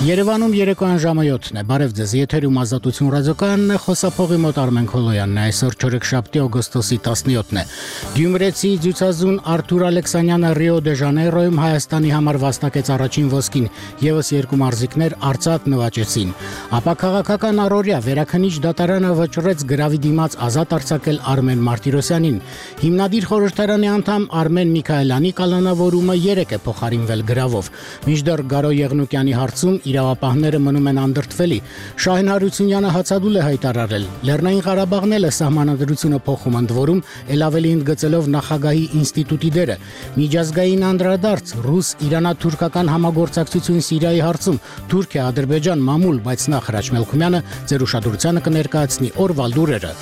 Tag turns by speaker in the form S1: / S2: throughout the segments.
S1: Երևանում երեկոյան ժամը 7-ն է, բարև ձեզ, եթերում Ազատություն ռադիոկայանն է, խոսափողի մոտ Արմեն Քոլոյանն է, այսօր չորեքշաբթի օգոստոսի 17-ն է։ Գյումրեցի ձյուծազուն Արթուր Ալեքսանյանը Ռիո դե Ժանեյրոյում Հայաստանի համար վաստակեց առաջին ոսկին, ևս երկու մարզիկներ արծաթ նվաճեցին։ Ապա քաղաքական առօրյա վերաքննիչ դատարանը վճռեց գրավի դիմաց ազատ արձակել Արմեն Մարտիրոսյանին։ Հիմնադիր խորհրդարանի անդամ Արմեն Միքայելյանի կալանավորումը 3 է փոխարինվել գրավով։ Մինչդեռ Գարո Եղնուկյանի հարցում իրավապահները մնում են անդրդվելի։ Շահեն Հարությունյանը հացադուլ է հայտարարել։ Լեռնային Ղարաբաղն էլ է սահմանադրությունը փոխում ընդ որում, ել ավելի ընդգծելով նախագահի ինստիտուտի դերը։ Միջազգային անդրադարձ ռուս-իրանա-թուրքական համագործակցություն Սիրիայի հարցում Թուրքիա, Ադրբեջան, մամուլ, բայց նախ Հրաչ Մելքումյանը ձեր ուշադրությանը կներկայացնի օրվա լուրերը։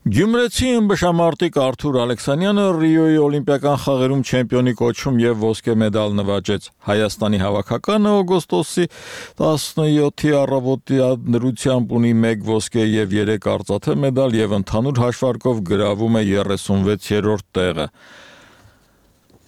S2: Գյումրեցի ըմբշամարտիկ Արթուր Ալեքսանյանը Ռիոյի օլիմպիական խաղերում չեմպիոնի կոչում եւ ոսկե մեդալ նվաճեց։ Հայաստանի հավաքականը օգոստոսի 17-ի առավոտյա դրությամբ ունի 1 ոսկե եւ 3 արծաթե մեդալ եւ ընդհանուր հաշվարկով գրավում է 36-րդ տեղը։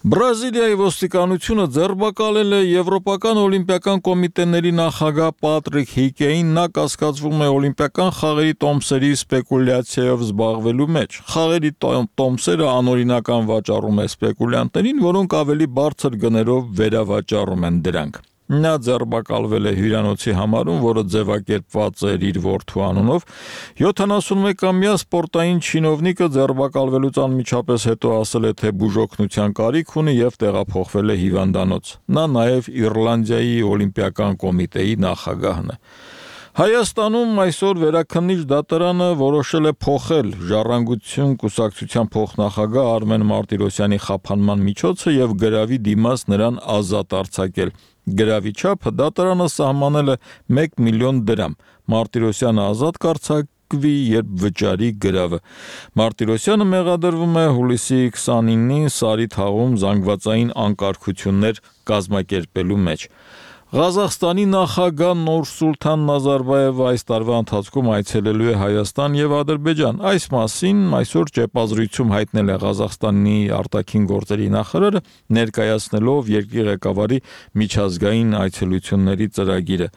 S2: Բրազիլիայի ոստիկանությունը ձերբակալել է Եվրոպական օլիմպիական կոմիտեների նախագահ Պատրիկ Հիկեին, նա կասկածվում է օլիմպիական խաղերի տոմսերի սպեկուլյացիայով զբաղվելու մեջ։ Խաղերի տոմսերը անօրինական վաճառում է սպեկուլյանտներին, որոնք ավելի բարձր գներով վերավաճառում են դրանք։ Նա ձերբակալվել է հյուրանոցի համարում, որը ձևակերպված էր իր որդու անունով։ 71-ամյա սպորտային չինովնիկը ձերբակալվելուց անմիջապես հետո ասել է, թե բուժօգնության կարիք ունի եւ տեղափոխվել է հիվանդանոց։ Նա նաեւ Իռլանդիայի օլիմպիական կոմիտեի նախագահն է։ Հայաստանում այսօր վերաքննիչ դատարանը որոշել է փոխել Ժառանգություն կուսակցության փոխնախագահ Արմեն Մարտիրոսյանի խափանման միջոցը եւ գրավի դիմաց նրան ազատ արձակել։ Գրավի չափը դատարանը սահմանել է 1 միլիոն դրամ։ Մարտիրոսյանը ազատ կարձակվի, երբ վճարի գրավը։ Մարտիրոսյանը մեղադրվում է հուլիսի 29-ին Սարի թաղում զանգվածային անկարգություններ կազմակերպելու մեջ։ Ղազախստանի նախագահ Նուրսուլթան Նազարբաևը այս տարվա ընթացքում այցելելու է Հայաստան եւ Ադրբեջան։ Այս մասին այսօր ճեպազրույցում հայտնել է Ղազախստանի արտաքին գործերի նախարարը, ներկայացնելով երկրի ղեկավարի միջազգային այցելությունների ծրագիրը։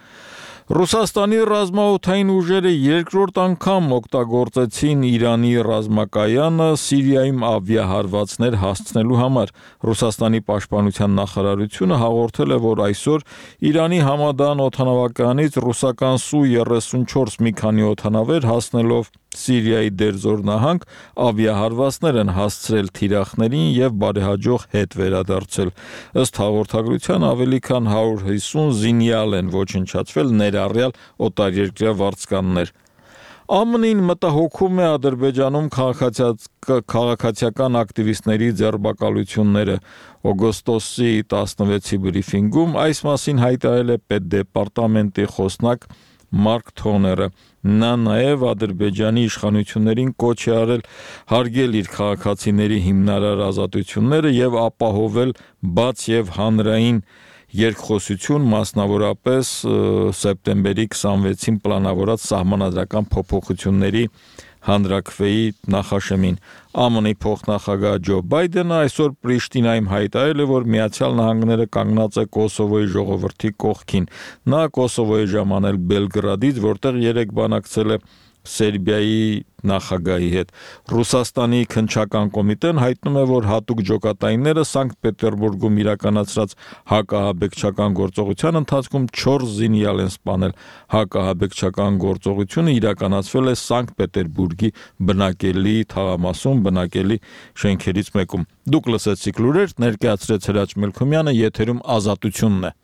S2: Ռուսաստանի ռազմաօդային ուժերը երկրորդ անգամ օգտագործեցին Իրանի ռազմակայանը Սիրիայում ավիահարվածներ հասցնելու համար։ Ռուսաստանի պաշտպանության նախարարությունը հաղորդել է, որ այսօր Իրանի Համադան օդանավականից ռուսական Սու-34 մի քանի օդանավեր հասնելով Սիրիայի Դերզոր նահանգ ավիահարվածներ են հասցրել թիրախներին եւ բարեհաջող հետ վերադարձել։ Ըստ հաղորդագրության ավելի քան 150 զինյալ են ոչնչացվել, ներառյալ օտարերկրյա վարձկաններ։ ԱՄՆ-ին մտահոգում է Ադրբեջանում քաղաքացիական ակտիվիստների ձերբակալությունները։ Օգոստոսի 16-ի բրիֆինգում այս մասին հայտարարել է պետդեպարտամենտի խոսնակ Մարկ Թոները։ Նա նաև Ադրբեջանի իշխանություններին կոչ է արել հարգել իր քաղաքացիների հիմնարար ազատությունները եւ ապահովել բաց եւ հանրային երկխոսություն, մասնավորապես սեպտեմբերի 26-ին պլանավորած սահմանադրական փոփոխությունների հանրաքվեի նախաշեմին։ ԱՄՆ-ի փոխնախագահ Ջո Բայդենը այսօր Պրիշտինայում հայտարարել է, որ Միացյալ Նահանգները կանգնած է Կոսովոյի ժողովրդի կողքին։ Նա Կոսովոյի ժամանել Բելգրադից, որտեղ 3 բանակցել է Սերբիայի նախագահի հետ։ Ռուսաստանի քննչական կոմիտեն հայտնում է, որ հատուկ ջոկատայինները Սանկտ Պետերբուրգում իրականացրած հակահաբեկչական գործողության ընթացքում 4 զինյալ են սպանել։ Հակահաբեկչական գործողությունը իրականացվել է Սանկտ Պետերբուրգի բնակելի թաղամասում, բնակելի շենքերից մեկում։ Դուք լսեցիք լուրեր, ներկայացրեց Հրաչ Մելքումյանը, եթերում Ազատությունն է։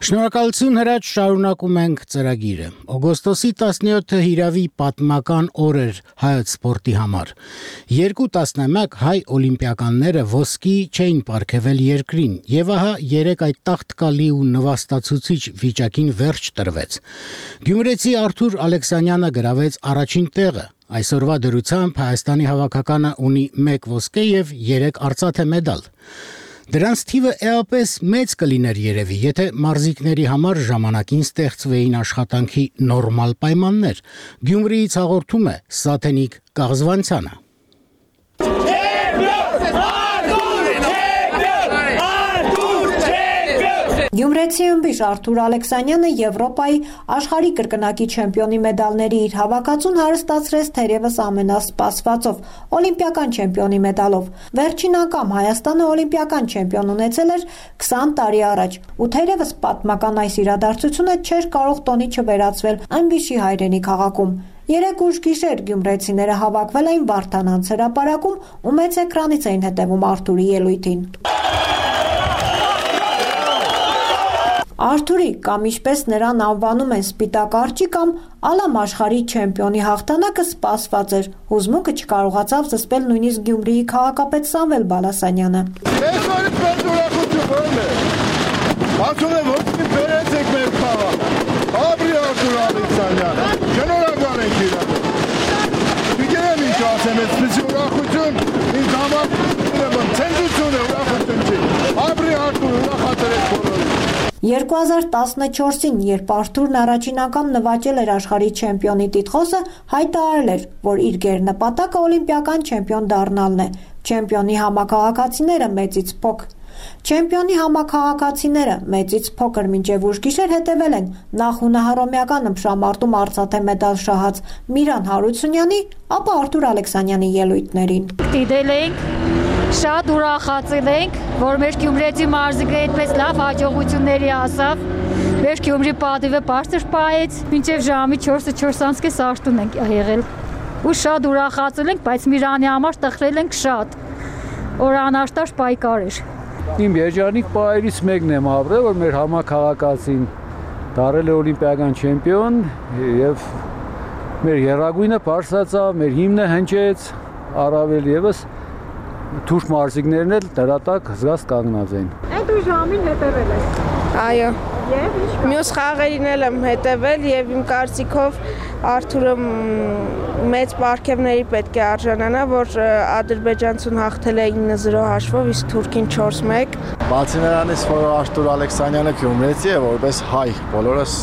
S1: Շնորհակալություն Հրաչ, շարունակում ենք ծրագիրը։ Օգոստոսի 17-ը հիրավի պատմական օր էր հայոց սպորտի համար։ 2-11 հայ օլիմպիականները ոսկի չէին պարգևել երկրին, եւ ահա երեք այդ տաղտկալի ու նվաստացուցիչ վիճակին վերջ տրվեց։ Գյումրեցի Արթուր Ալեքսանյանը գրավեց առաջին տեղը։ Այսօրվա դրությամբ Հայաստանի հավաքականը ունի 1 ոսկե եւ 3 արծաթե մեդալ։ Դրանց թիվը էապես մեծ կլիներ երևի, եթե մարզիկների համար ժամանակին ստեղծվեին աշխատանքի նորմալ պայմաններ։ Գյումրիից հաղորդում է Սաթենիկ Կաղզվանցյանը։
S3: Գյումրեցի ըմբիշ Արթուր Ալեքսանյանը Եվրոպայի աշխարհի կրկնակի չեմպիոնի մեդալների իր հավաքածուն հարստացրեց թերևս ամենասպասվածով օլիմպիական չեմպիոնի մեդալով։ Վերջին անգամ Հայաստանը օլիմպիական չեմպիոն ունեցել էր 20 տարի առաջ, ու թերևս պատմական այս իրադարձությունը չէր կարող տոնի չվերածվել ըմբիշի հայրենի քաղաքում։ Երեք ուշ գիշեր գյումրեցիները հավաքվել էին Վարդանանց հրապարակում ու մեծ էկրանից էին հետևում Արթուրի ելույթին։ Արթուրի, կամ ինչպես նրան անվանում են Սպիտակ արջի կամ Ալամ աշխարհի չեմպիոնի հաղթանակը սպասված էր։ Հուզմունքը չկարողացավ զսպել նույնիսկ Գյումրիի քաղաքապետ Սամվել Բալասանյանը։
S4: Այսօրից մեծ ուրախություն է։ Ասում եմ, որ բերեցեք մեր քաղաք։ Ապրի Արթուր Ալեքսանյանը։ Շնորհակալ ենք իրան։ Գիտեմ ինչ ասեմ, այսպես ուրախություն ինձ համար ցենզուրություն է, ուրախություն չի։ Ապրի Արթուր, ուրախացրեք բոլորին։
S3: 2014-ին, երբ Արթուրն առաջին անգամ նվաճել էր աշխարհի չեմպիոնի տիտղոսը, հայտարարել էր, որ իր գերնպատակը օլիմպիական չեմպիոն դառնալն է։ Չեմպիոնի համաքաղաքացիները մեծից փոքր մինչև ուշ գիշեր հետևել են նախ հունահռոմեական ըմբշամարտում արծաթե մեդալ շահած Միրան Հարությունյանի, ապա Արթուր Ալեքսանյանի ելույթներին։
S5: Դիտել ենք, շատ ուրախացել ենք, որ մեր Գյումրեցի մարզիկը այդպես լավ հաջողությունների հասավ։ Մեր Գյումրի պատիվը բարձր պահեց, մինչև ժամի 4:04 արտուն ենք եղել։ Ու շատ ուրախացել ենք, բայց Միրանի համար տխրել ենք շատ։ Որ անարտար պայքար էր։
S6: Իմ երջանիկ պահերից մեկն եմ ապրել, որ մեր համաքաղաքացին դառել է օլիմպիական չեմպիոն եւ մեր եռագույնը բարձրացավ, մեր հիմնը հնչեց, առավել եւս թուրք մարզիկներն էլ դրատակ զգաց կանգնած էին։
S5: Այդ ու ժամին հետևել ես։
S7: Այո։
S5: Եվ ինչ։
S7: Մյուս խաղերին էլ եմ հետևել եւ իմ կարծիքով Արթուրը մեծ պարգևների պետք է արժանանա, որ ադրբեջանցուն հաղթել է 9-0 հաշվով, իսկ թուրքին 4-1։
S4: Բացի նրանից, որ Արթուր Ալեքսանյանը գյումրեցի է, որպես հայ, բոլորս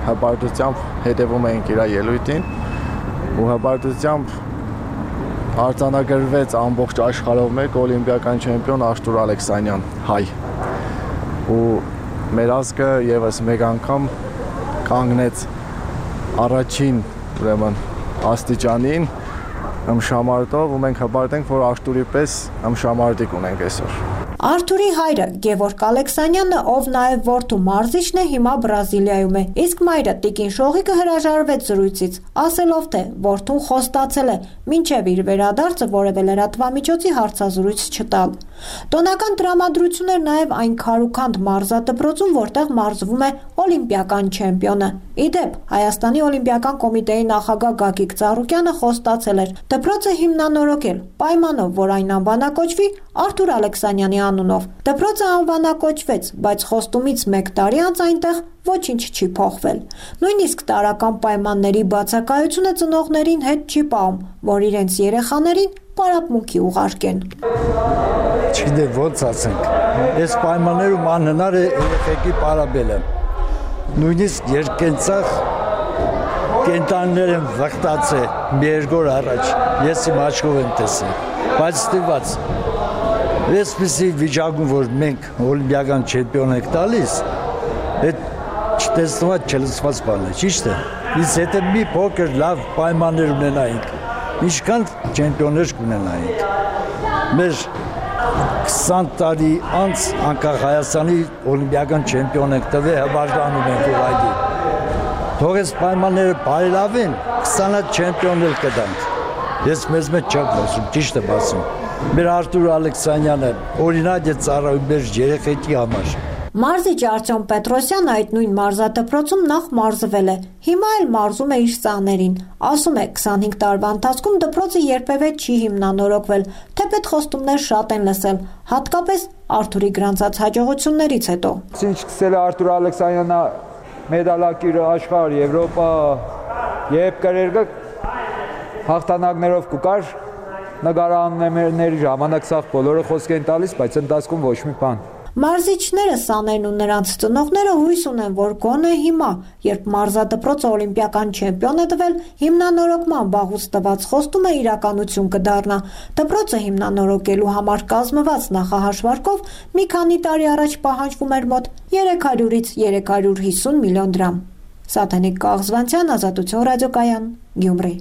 S4: հպարտությամբ հետևում էինք իր ելույթին ու հպարտությամբ արձանագրվեց ամբողջ աշխարհով մեկ օլիմպիական չեմպիոն Արթուր Ալեքսանյան, հայ։ Ու մեր ազգը եւս մեկ անգամ կանգնեց առաջին, ուրեմն, աստիճանին ըմբշամարտով ու մենք հպարտ ենք, որ Արթուրի պես ըմբշամարտիկ ունենք այսօր։
S3: Արթուրի հայրը Գևորգ Ալեքսանյանը, ով նաև որդու մարզիչն է, հիմա Բրազիլիայում է, իսկ մայրը Տիկին Շողիկը հրաժարվեց զրույցից, ասելով թե որդուն խոստացել է մինչև իր վերադարձը որևէ լրատվամիջոցի հարցազրույց չտալ։ Տոնական տրամադրություն էր նաև այն քարուքանդ մարզադպրոցում, որտեղ մարզվում է օլիմպիական չեմպիոնը։ Իդեպ, Հայաստանի օլիմպիական կոմիտեի նախագահ Գագիկ Ծառուկյանը խոստացել էր դպրոցը հիմնանորոգել, պայմանով, որ այն անվանակոչվի Արթուր Ալեքսանյանի անունով։ Դպրոցը անվանակոչվեց, բայց խոստումից 1 տարի անց այնտեղ ոչինչ չի փոխվել։ Նույնիսկ տարական պայմանների բացակայությունը ծնողներին հետ չի պահում, որ իրենց երեխաներին պարապմունքի ուղարկեն։
S8: Չգիտեմ ոնց ասենք, այս պայմաններում անհնար է երեխեքի պարապելը։ Նույնիսկ երկենցաղ կենտանիներ են վխտացել մի երկու օր առաջ, ես իմ աչքով եմ տեսել, բայց ստիպված այսպիսի վիճակում, որ մենք օլիմպիական չեմպիոն ենք տալիս, այդ չտեսնված չլսված բան է, ճիշտ է։ Իսկ եթե մի փոքր լավ պայմաններ ունենայինք, ինչքան չեմպիոններ կունենայինք։ Մեր 20 տարի անց անկախ Հայաստանի օլիմպիական չեմպիոն ենք տվել, հպարտանում ենք ուղղակի։ Թող այս պայմանները բարելավեն, 20 հատ չեմպիոններ կտանք։ Ես մեզ մեջ չեմ խոսում, ճիշտ եմ ասում։ Մեր Արթուր Ալեքսանյանը օրինակ է ծառայում մեր երեխեքի համար։
S3: Մարզիչ Արտյոմ Պետրոսյանը այդ նույն մարզադպրոցում նախ մարզվել է, հիմա էլ մարզում է իր սաներին, ասում է 25 տարվա ընթացքում դպրոցը երբևէ չի հիմնանորոգվել, թեպետ խոստումներ շատ են լսել, հատկապես Արթուրի գրանցած հաջողություններից հետո։
S6: Ինչ սկսել է Արթուր Ալեքսանյանը մեդալակիր աշխարհ, Եվրոպա, երբ կրերգը հաղթանակներով կուկար նկարանների ժամանակ սաղ բոլորը խոսք են տալիս, բայց ընթացքում ոչ մի բան։
S3: Մարզիչները, սաներն ու նրանց ծնողները հույս ունեն, որ գոնե հիմա, երբ մարզադպրոցը օլիմպիական չեմպիոն է տվել, հիմնանորոգման վաղուց տված խոստումը իրականություն կդառնա։ Դպրոցը հիմնանորոգելու համար կազմված նախահաշվարկով մի քանի տարի առաջ պահանջվում էր մոտ 300-ից 350 միլիոն դրամ։ Սաթենիկ Կաղզվանցյան, Ազատություն ռադիոկայան, Գյումրի։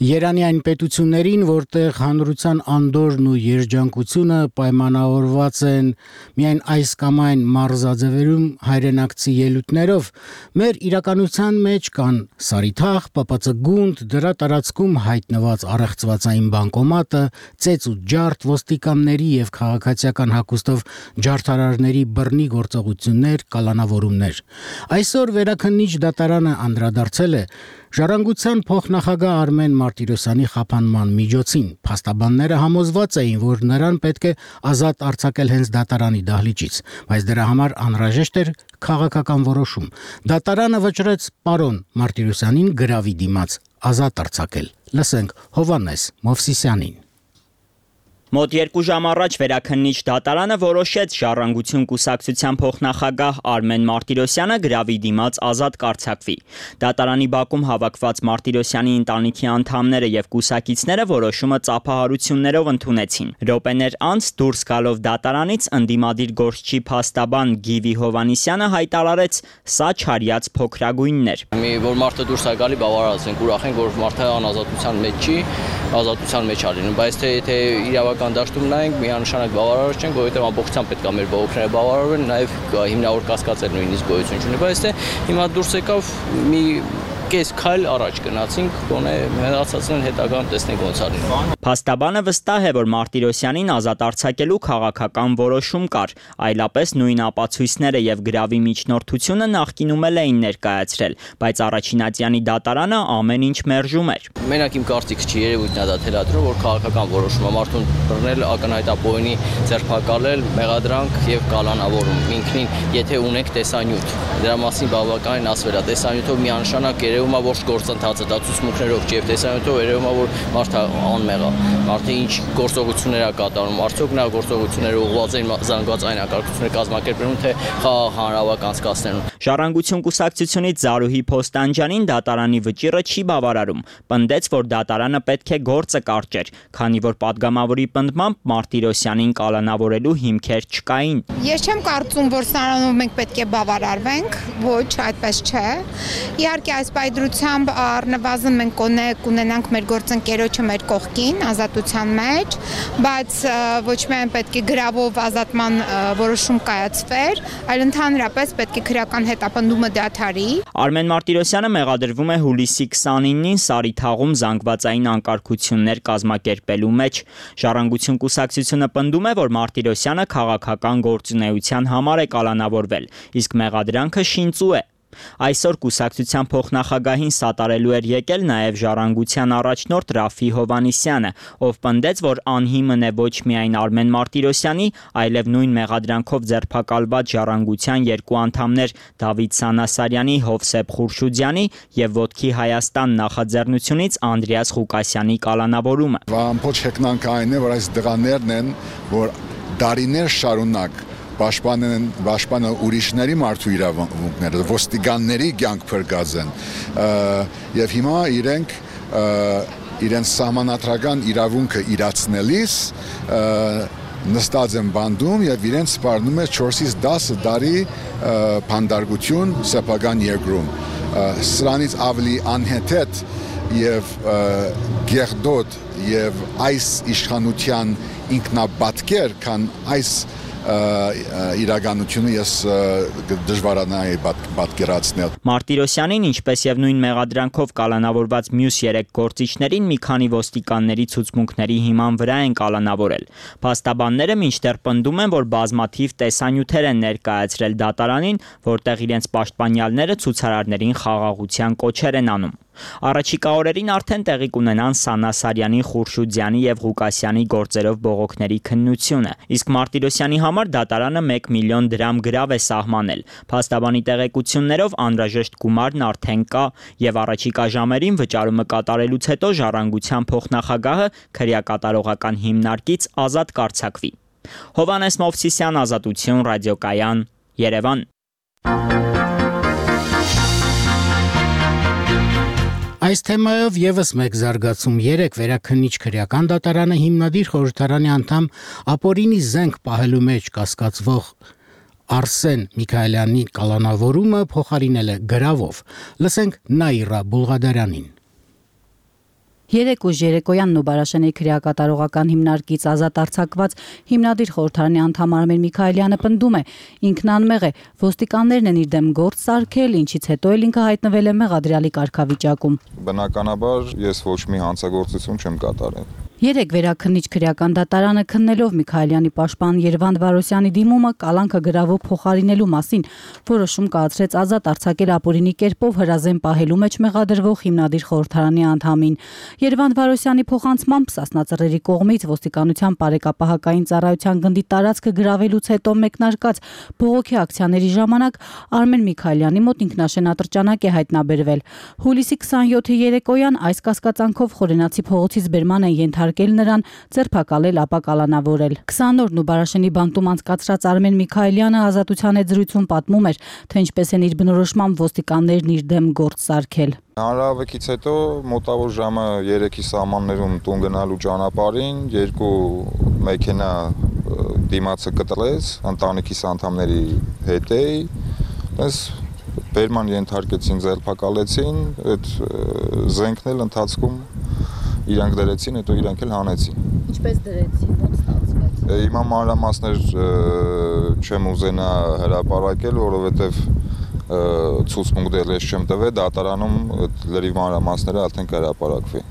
S1: Երանի այն պետություններին, որտեղ հանրության անդորն ու երջանկությունը պայմանավորված են միայն այս կամ այն մարզաձևերում հայրենակցի ելույթներով, մեր իրականության մեջ կան Սարիթաղ, ՊՊՑ գունդ, դրա տարածքում հայտնված առեղծվածային բանկոմատը, ծեծ ու ջարդ, ոստիկանների եւ քաղաքացիական հագուստով ջարդարարների բռնի գործողություններ, կալանավորումներ։ Այսօր Վերաքննիչ դատարանը անդրադարձել է Ժառանգության փոխնախագահ Արմեն Մարտիրոսյանի խափանման միջոցին, փաստաբանները համոզված էին, որ նրան պետք է ազատ արձակել հենց դատարանի դահլիճից, բայց դրա համար անհրաժեշտ էր քաղաքական որոշում։ Դատարանը վճռեց պարոն Մարտիրոսյանին գրավի դիմաց ազատ արձակել։ Լսենք Հովհաննես Մովսիսյանին։
S9: Մոտ 2 ժամ առաջ Վերաքննիչ դատարանը որոշեց Ժառանգություն կուսակցության փոխնախագահ Արմեն Մարտիրոսյանը գրավի դիմաց ազատ կարձակվի։ Դատարանի բակում հավաքված Մարտիրոսյանի ընտանիքի անդամները եւ կուսակիցները որոշումը ծափահարություններով ընդունեցին։ Րոպեներ անց դուրս գալով դատարանից ընդդիմադիր գործչի փաստաբան Գիվի Հովանիսյանը հայտարարեց՝ սա չարյաց փոքրագույններ։
S10: Որ մարդը դուրս է գալի, բավարարած ենք, ուրախ ենք, որ մարդը անազատության մեջ չի, ազատության մեջ է լինում, բայց թե իրավական դաշտում նայենք, միանշանակ բավարարված չենք, որովհետև ամբողջությամբ պետք է մեր բողոքները բավարարվեն, նաև հիմնավոր կասկածել նույնիսկ գոյություն չունի, բայց հիմա դուրս եկավ մի կես քայլ առաջ գնացինք, գոնե մնացածն հետագան տեսնենք ոնց արին։
S9: Փաստաբանը վստահ է, որ Մարտիրոսյանին ազատ արձակելու քաղաքական որոշում կար, այլապես նույն ապացույցները եւ գրավի միջնորդությունը նախկինում էին ներկայացրել, բայց առաջինատյանի դատարանը ամեն ինչ մերժում էր։
S10: Մենակ իմ կարծիքս չի, երևույթն է դա թելադրում, որ քաղաքական որոշում է մարդուն բռնել, ակնհայտապոյնի ձերբակալել, մեղադրանք եւ կալանավորում։ Ինքնին, եթե ունեք տեսանյութ, դրա մասին բավականին ասվել է, տեսանյութով միանշանակ երևում է, որ գործընթացը դա ցուցմունքներով չի եւ տեսանյութով երևում է, որ մարդը անմեղ է։ Մարդը ինչ գործողություններ է կատարում, արդյոք նա գործողությունները ուղղված են զանգված այն ակարգությունները կազմակերպելուն, թե խաղաղ հանրավակ անցկացնելուն։
S9: Ժառանգություն կուսակցությունից Զարուհի Փոստանջյանին դատարանի վճիռը չի բավարարում։ Պնդեց, որ դատարանը պետք է գործը կարճեր, քանի որ падգամավորի պնդմամբ Մարտիրոսյանին կալանավորելու հիմքեր չկային։
S11: Ես չեմ կարծում, որ սրանով մենք պետք է բավարարվենք, ոչ, այդպես չէ։ Իհարկե այս պայդրությամբ առնվազն մենք կունենանք մեր գործընկերոջը մեր կողքին ազատության մեջ, բայց ոչ միայն պետք է գրավով ազատման որոշում կայացվեր, այլ ընդհանրապես պետք է քրեական հետապնդումը դադարի։
S9: Արմեն Մարտիրոսյանը մեղադրվում է հուլիսի 29-ին Սարիթաղում զանգվածային անկարգություններ կազմակերպելու մեջ։ Ժառանգություն կուսակցությունը պնդում է, որ Մարտիրոսյանը քաղաքական գործունեության համար է կալանավորվել, իսկ մեղադրանքը շինծու է։ Այսօր կուսակցության փոխնախագահին սատարելու էր եկել նաև Ժառանգության առաջնորդ Ռաֆի Հովանիսյանը, ով պնդեց, որ անհիմն է ոչ միայն Արմեն Մարտիրոսյանի, այլև նույն մեղադրանքով ձերբակալված Ժառանգության երկու անդամներ Դավիթ Սանասարյանի, Հովսեփ Խուրշուդյանի եւ Ոտքի Հայաստան նախաձեռնությունից Անդրեաս Ղուկասյանի կալանավորումը։
S4: Ամբողջ հեքնանքը այն է, որ այս դղաներն են, որ դարիներ շարունակ պաշտպանը ուրիշների մարդու իրավունքները, ոստիկանների կյանք փրկած են եւ հիմա իրենց սահմանադրական իրավունքը իրացնելիս նստած են բանդում եւ իրենց սպառնում է 4-ից 10 տարի փանդարգություն սեփական երկրում։ Սրանից ավելի անհեթեթ եւ գեղդոտ եւ այս իշխանության ինքնաբատկեր, քան այս
S12: իրականությունը ես դժվարանայի պատկերացնել։
S9: Մարտիրոսյանին, ինչպես եւ նույն մեղադրանքով կալանավորված մյուս 3 գործիչներին մի քանի ոստիկանների ցուցմունքների հիման վրա են կալանավորել։ Փաստաբանները մինչդեռ պնդում են, որ բազմաթիվ տեսանյութեր են ներկայացրել դատարանին, որտեղ իրենց պաշտպանյալները ցուցարարներին խաղաղության կոչեր են անում։ Առաջիկա օրերին արդեն տեղի կունենան Սանա Սարյանի, Խուրշուդյանի եւ Ղուկասյանի գործերով բողոքների քննությունը, իսկ Մարտիրոսյանի համար դատարանը 1 միլիոն դրամ գրավ է սահմանել։ Փաստաբանի տեղեկություններով անհրաժեշտ գումարն արդեն կա եւ առաջիկա ժամերին վճարումը կատարելուց հետո Ժառանգության փոխնախագահը քրեակատարողական հիմնարկից ազատ կարձակվի։ Հովհաննես Մովսիսյան, Ազատություն, Ռադիոկայան, Երևան։
S1: Այս թեմայով եւս մեկ զարգացում 3 վերաքննիչ քրեական դատարանը հիմնադիր խորհրդարանի անդամ ապօրինի զենք պահելու մեջ կասկածվող Արսեն Միքայելյանի կալանավորումը փոխարինել է գրավով։ Լսենք Նաիրա Բուլղադարյանին։
S13: 3 ուժ երեկոյան Նոբարաշենի քրեակատարողական հիմնարկից ազատ արձակված հիմնադիր խորհրդարանի անդամ Արմեն Միքայելյանը պնդում է, ինքն անմեղ է, ոստիկաններն են իր դեմ գործ սարքել, ինչից հետո էլ ինքը հայտնվել է մեղադրյալի կարգավիճակում։
S14: Բնականաբար ես ոչ մի հանցագործություն չեմ կատարել։
S13: 3 վերաքննիչ քրեական դատարանը քննելով Միքայելյանի պաշտպան Երվանդ Վարոսյանի դիմումը կալանքը գրավով փոխարինելու մասին որոշում կայացրեց ազատ արձակել ապօրինի կերպով հրազեն պահելու մեջ մեղադրվող հիմնադիր խորհրդարանի անդամին։ Երվանդ Վարոսյանի փոխանցմամբ Սասնա Ծռերի կողմից ոստիկանության բարեկապահական ծառայության գնդի տարածքը գրավելուց հետո մեկնարկած բողոքի ակցիաների ժամանակ Արմեն Միքայելյանի մոտ ինքնաշեն ատրճանակ է հայտնաբերվել։ Հուլիսի 27-ի երեկոյան այս կասկածանքով Խորենացի փողոցից բերման են ենթարկել նրան, ձերբակալել, ապա կալանավորել։ 20 օրն ու Բարաշենի բանտում անցկացրած Արմեն Միքայելյանը ազատության հետ զրույցում պատմում էր, թե ինչպես են իր բնորոշմամբ ոստիկաններն իր դեմ գործ սարքել։
S14: Հանրահավաքից հետո մոտավոր ժամը 3-ի սահմաններում տուն գնալու ճանապարհին 2 մեքենա դիմացը կտրեց, ընտանիքիս անդամների հետ էի, այս բերման ենթարկեցին, ձերբակալեցին, այդ զենքն էլ ընթացքում իրանք դրեցին, հետո իրանք էլ հանեցին։ Ինչպես դրեցին, ո՞նց ստացվեց։ Հիմա մանրամասներ չեմ ուզենա հրապարակել, որովհետև ցուցմունք դեռ ես չեմ տվել, դատարանում լրիվ մանրամասները արդեն կհրապարակվի։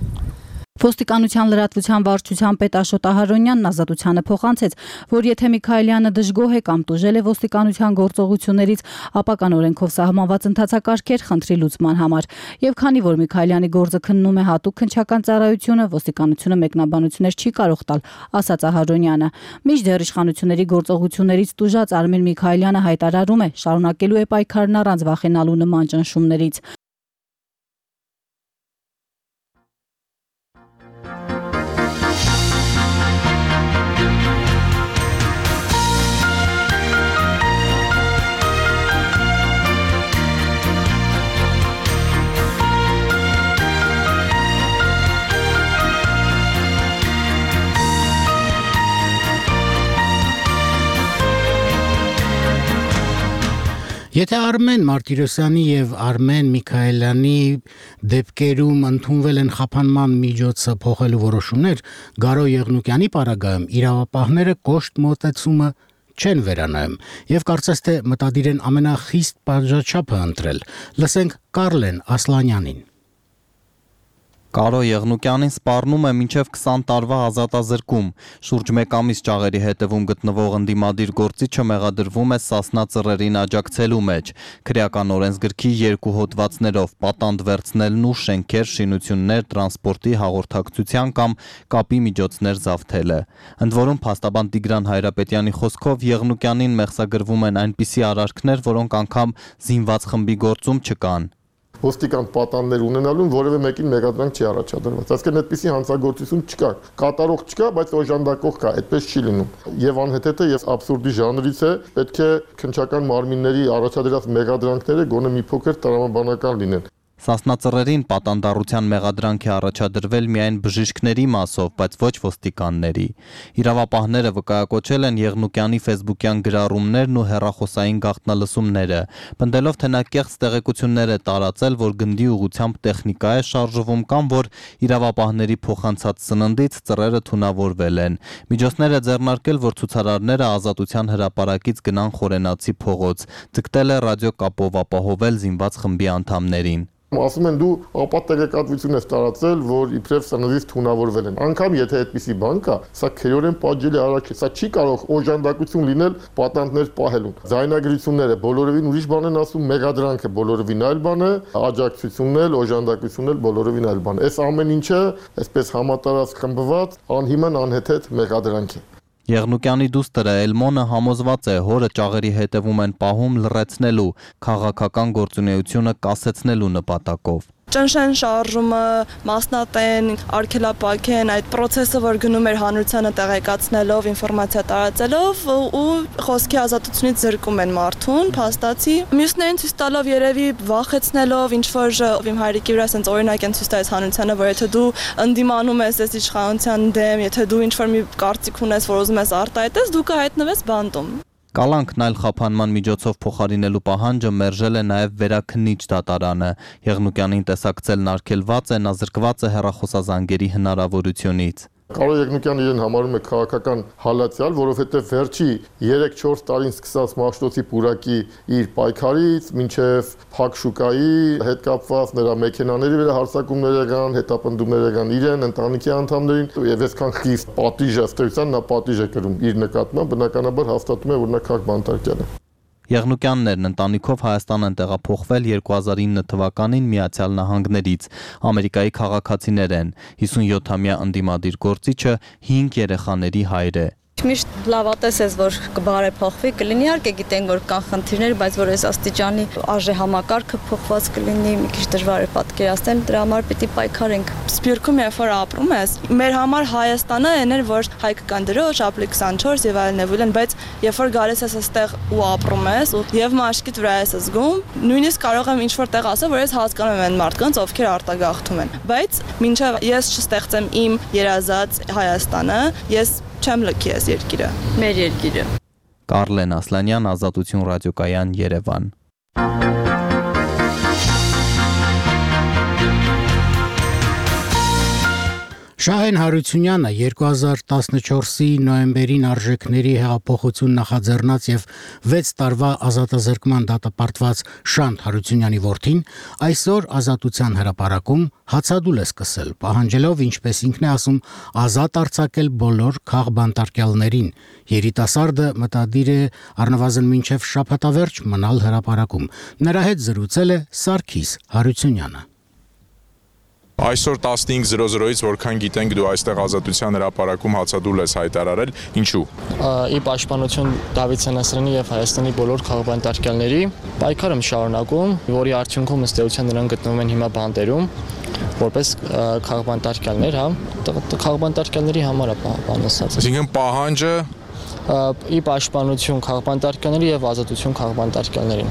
S13: Ոստիկանության լրատվության վարչության պետ Աշոտ Ահարոնյանն ազատությանը փոխանցեց, որ եթե Միքայելյանը դժգոհ է կամ տուժել է ոստիկանության գործողություններից, ապա կան օրենքով սահմանված ընթացակարգեր խնդրի լուծման համար։ Եվ քանի որ Միքայելյանի գործը քննում է հատուկ քննչական ծառայությունը, ոստիկանությունը մեկնաբանություններ չի կարող տալ, ասաց Ահարոնյանը։ Մինչդեռ իշխանությունների գործողություններից տուժած Արմեն Միքայելյանը հայտարարում է, շարունակելու է պայքարն առանց վախենալու նման ճնշումներից։
S1: Եթե Արմեն Մարտիրոսյանի եւ Արմեն Միքայելյանի դեպքերում ընդունվել են խափանման միջոցը փոխելու որոշումներ, Գարո Եղնուկյանի պարագայում իրավապահները կոշտ մոտեցումը չեն վերանայում եւ կարծես թե մտադիր են ամենախիստ պատժաչափը ընտրել։ Լսենք Կարլեն Ասլանյանին։
S15: Կարո Եղնուկյանին սպառնում է մինչև 20 տարվա ազատազրկում։ Շուրջ 1 ամիս ճաղերի հետևում գտնվող ընդդիմադիր գործիչը մեղադրվում է Սասնա Ծռերին աջակցելու մեջ, քրեական օրենսգրքի 2 հոդվածներով պատանդ վերցնելն ու շենքեր, շինություններ, տրանսպորտի, հաղորդակցության կամ կապի միջոցներ զավթելը։ Ընդ որում փաստաբան Տիգրան Հայրապետյանի խոսքով Եղնուկյանին մեղսագրվում են այնպիսի արարքներ, որոնք անգամ զինված խմբի գործում չկան։
S16: Ոստիկան պատաններ ունենալուն որևէ մեկին մեղադրանք չի առաջադրված։ Այսինքն այդպիսի հանցագործություն չկա, կատարող չկա, բայց օժանդակող կա, այդպես չի լինում։ Եվ անհետեթը եւ աբսուրդի ժանրից է, պետք է քննչական մարմինների առաջադրած մեղադրանքները գոնե մի փոքր տրամաբանական լինեն։
S15: Սասնածռերին պատանդառության մեղադրանք է առաջադրվել միայն բժիշկների մասով, բայց ոչ ոստիկանների։ Իրավապահները վկայակոչել են Եղնուկյանի ֆեյսբուքյան գրառումներն ու հեռախոսային գաղտնալսումները, պնդելով, թե նա կեղծ տեղեկություններ է տարածել, որ գնդի ուղղությամբ տեխնիկա է շարժվում կամ որ իրավապահների փոխանցած սննդից ծռերը թունավորվել են։ Միջոցներ է ձեռնարկել, որ ցուցարարները Ազատության հրապարակից գնան Խորենացի փողոց, ձգտել է ռադիոկապով ապահովել զինված խմբի անդամներին։
S16: Ասում են դու ապատ տեղեկատվություն ես տարածել, որ իբրև սննդից թունավորվել են։ Անկամ եթե այդպիսի բան կա, սա քերորեն պատժելի արարք է։ Սա չի կարող օժանդակություն լինել պատանտներ պահելուն։ Ձայնագրությունները բոլորովին ուրիշ բան են ասում, մեղադրանքը բոլորովին այլ բան է, աջակցությունն էլ, օժանդակությունն էլ բոլորովին այլ բան է։ Այս ամեն ինչը այսպես համատարած խմբված անհիմն անհեթեթ մեղադրանք է։
S15: Եղնուկյանի դուստրը Էլմոնը համոզված է, հորը ճաղերի հետևում են պահում լռեցնելու, քաղաքական գործունեությունը կասեցնելու նպատակով։
S17: Ճնշեն շարժումը, մասնատեն, արգելապակեն այդ process-ը, որ գնում էր հանրությանը տեղեկացնելով, ինֆորմացիա տարածելով ու խոսքի ազատությունից զրկում են մարդուն, փաստացի։ Մյուսներին ցույց տալով երևի վախեցնելով, ինչ որ իմ հայրիկի վրա sense օրինակ են ցույց տալիս հանրությանը, որ եթե դու ընդդիմանում ես այս իշխանության դեմ, եթե դու ինչ որ մի կարծիք ունես, որ ուզում ես արտահայտես, դու կհայտնվես բանտում։
S15: Կալանքն այլ խափանման միջոցով փոխարինելու պահանջը մերժել է նաև Վերաքննիչ դատարանը։ Եղնուկյանին տեսակցելն արգելված է, նա զրկված է հեռախոսազանգերի հնարավորությունից։
S16: Կարո Եղնուկյանը իրեն համարում է քաղաքական հալածյալ, որովհետև վերջի 3-4 տարին սկսած Մաշտոցի պուրակի իր պայքարից մինչև Փակ շուկայի հետ կապված նրա մեքենաների վրա հարձակումներ եղան, հետապնդումներ եղան իրեն, ընտանիքի անդամներին եւ այսքան խիստ պատիժ ըստեյության նա պատիժ է կրում իր նկատմամբ, բնականաբար հաստատում է, որ նա քաղաք բանտարկյալ է։
S15: Եղնուկյաններն ընտանիքով Հայաստան են տեղափոխվել 2009 թվականին Միացյալ Նահանգներից։ Ամերիկայի քաղաքացիներ են։ 57-ամյա ընդդիմադիր գործիչը 5 երեխաների հայր է։
S18: Միշտ լավատես ես, որ կբարեփոխվի, կլինի իհարկե գիտենք, որ կան խնդիրներ, բայց որ այս աստիճանի արժե համակարգը փոխված կլինի, մի քիչ դժվար է պատկերացնել, դրա համար պիտի պայքարենք։
S17: Սփյուռքում երբ որ ապրում ես, մեր համար Հայաստանը այն էր, որ հայկը կան դրոշ, ապրի 24 եւ այլն եւ այլն, բայց երբ որ գալիս ես այստեղ ու ապրում ես, եւ մաշկիդ վրա ես զգում, նույնիսկ կարող եմ ինչ-որ տեղ ասել, որ ես հասկանում եմ այն մարդկանց, ովքեր արտագաղթում են, բայց մինչեւ ես չստեղծեմ իմ երազած Հայաստանը, ես չեմ լքի այս երկիրը, մեր երկիրը։
S15: Կարլեն Ասլանյան, Ազատություն ռադիոկայան, Երևան։
S1: Շահեն Հարությունյանը 2014-ի նոյեմբերին արժեքների հեղափոխություն նախաձեռնած եւ 6 տարվա ազատազրկման դատապարտված Շանթ Հարությունյանի որդին այսօր Ազատության հրապարակում հացադուլ է սկսել, պահանջելով, ինչպես ինքն է ասում, ազատ արձակել բոլոր քաղբանտարկյալներին։ Երիտասարդը մտադիր է առնվազն մինչև շաբաթավերջ մնալ հրապարակում։ Նրա հետ զրուցել է Սարգիս Հարությունյանը։
S14: Այսօր 15:00-ից որքան գիտենք դու այստեղ Ազատության հրապարակում հացադուլ ես հայտարարել, ինչու։
S19: Ի պաշտպանություն Դավիթ Սենասարյանի եւ Հայաստանի բոլոր քաղաքապետարների պայքարը շարունակում, որի արդյունքում ըստ էության նրանք գտնվում են հիմա բանտերում, որպես քաղաքապետարներ, հա, քաղաքապետարների համար է բան ասած։
S14: Այսինքն պահանջը
S19: ի պաշտպանություն քաղաքապետարների եւ ազատություն քաղաքապետարներին։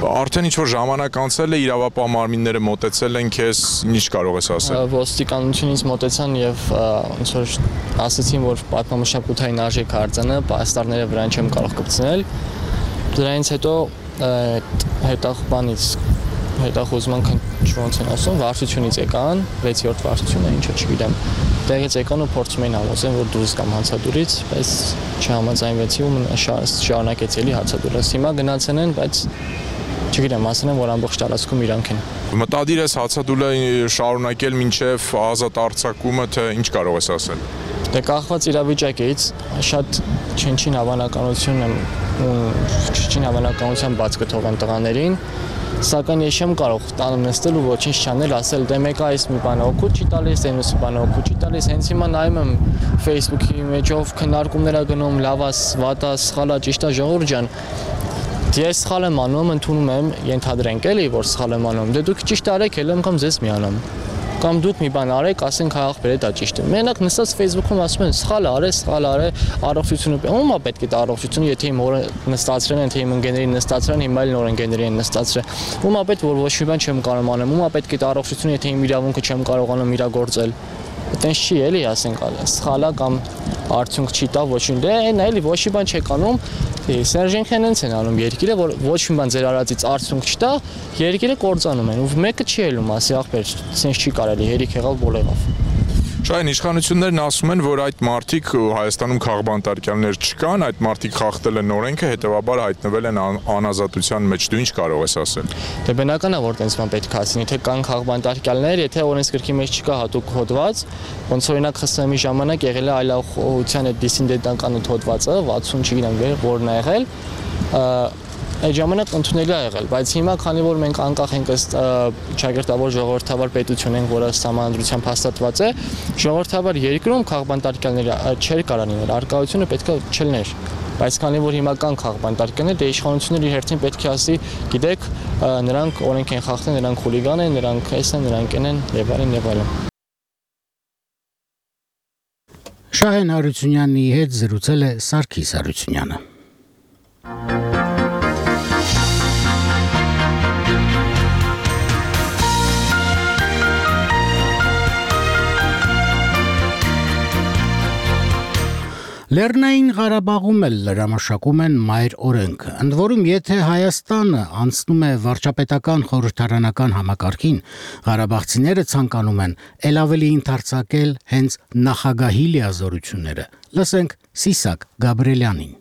S14: Արդեն ինչ-որ ժամանակ անցել է, իրավապահ մարմինները մոտեցել են քեզ, ինչ կարող ես ասել։
S19: Ոստիկանությունից մոտեցան եւ ոնց որ ասացին, որ պատմամշակութային արժեք արձանը պաստառները վրան չեմ կարող կպցնել։ Դրանից հետո հետախուզման ոնց են ասում, վարչությունից եկան, 6-րդ վարչությունը, ինչը չգիտեմ։ Տեղից եկան ու փորձում էին համոզել, որ դուրս կամ հացադուլից, բայց չհամաձայնվեցի ու շարունակեցի էլի հացադուլը։ Հիմա գնացել են, բայց չգիտեմ, ասել են, որ ամբողջ տարածքում իրանք են։
S14: Մտադիր ես հացադուլը շարունակել մինչև ազատ արձակումը, թե ինչ կարող ես ասել։
S19: Դե կախված իրավիճակից շատ չնչին հավանականության բաց կթողեն տղաներին, սակայն ես չեմ կարող տանը նստել ու ոչինչ չանել, ասել դե մեկը այս մի բանը օգուտ չի տալիս, այնուս բանը օգուտ չի տալիս, հենց հիմա նայում եմ Facebook-ի մեջով քննարկումներ ա գնում, լավա, վատա, սխալա, ճիշտա, ժողովուրդ ջան։ Ես սխալ եմ անում, ընդունում եմ, ենթադրենք էլի, որ սխալ եմ անում։ Դե դուք ճիշտ արեք, էլ եմ կամ ձեզ միանամ։ կամ դուք մի բան արեք, ասենք հայ աղբերը դա ճիշտ է։ Մենակ նստած Facebook-ում ասում են սխալ արե, առողջությունը։ Ում է պետք է դա առողջությունը, եթե իմ օրը նստացրել են, թե իմ ընկերներին նստացրել են, հիմա էլ նոր ընկերներին են նստացրել։ Ում է պետք որ ոչ մի բան չեմ կարող անեմ, ում է պետք է դա առողջությունը, եթե իմ իրավունքը չեմ կարողանում իրագործել։ Այդտենց չի էլի, ասենք, սխալա կամ արդյունք չի տա ոչինչ։ Դե այն էլի ոչ մի բան չեք անում։ Սերժենքն հենց են անում երկիրը, որ ոչ մի բան ձեր արածից արդյունք չտա, երկիրը կործանում են։ Ու մեկը չի ելում, ասի ախպեր, սենց չի կարելի, հերիք եղավ բոլորով։
S14: Շահեն, իշխանություններն ասում են, որ այդ մարտիկ Հայաստանում քաղբանտարկյալներ չկան, այդ մարտիկ խախտել են օրենքը, հետևաբար հայտնվել են անազատության մեջ։ Դու ինչ կարող ես ասել։
S19: Դե բնական է, որ տենց բան պետք է ասեն, եթե կան քաղբանտարկյալներ, եթե օրենսգրքի մեջ չկա հատուկ հոդված, ոնց օրինակ ԽՍՀՄ-ի ժամանակ եղել է այլախոհության այդ դիսիդենտական հոդվածը, 60 չգիտեմ որն է եղել, այդ ժամանակ ընդունելի է եղել, բայց հիմա քանի որ մենք անկախ ենք ըստ ճակերտավոր ժողովրդավար պետություն ենք, որը համանդրությամբ հաստատված է, ժողովրդավար երկրում քաղբանտարկյալները չեր կարող լինել, արկայությունը պետք է չլներ, բայց քանի որ հիմա կան քաղբանտարկյալներ, դե իշխանությունները իր հերթին պետք է ասի, գիտեք, նրանք օրենք են խախտել, նրանք խուլիգան են, նրանք էս են, նրանք են եւ այլն։
S1: Շահեն Հարությունյանի հետ զրուցել է Սարգիս Հարությունյանը։ Լեռնային Ղարաբաղում էլ լրամշակում են մայր օրենքը, ընդ որում եթե Հայաստանը անցնում է վարչապետական խորհրդարանական համակարգին, ղարաբաղցիները ցանկանում են ել ավելի ընդարձակել հենց նախագահի լիազորությունները։ Լսենք Սիսակ Գաբրելյանին։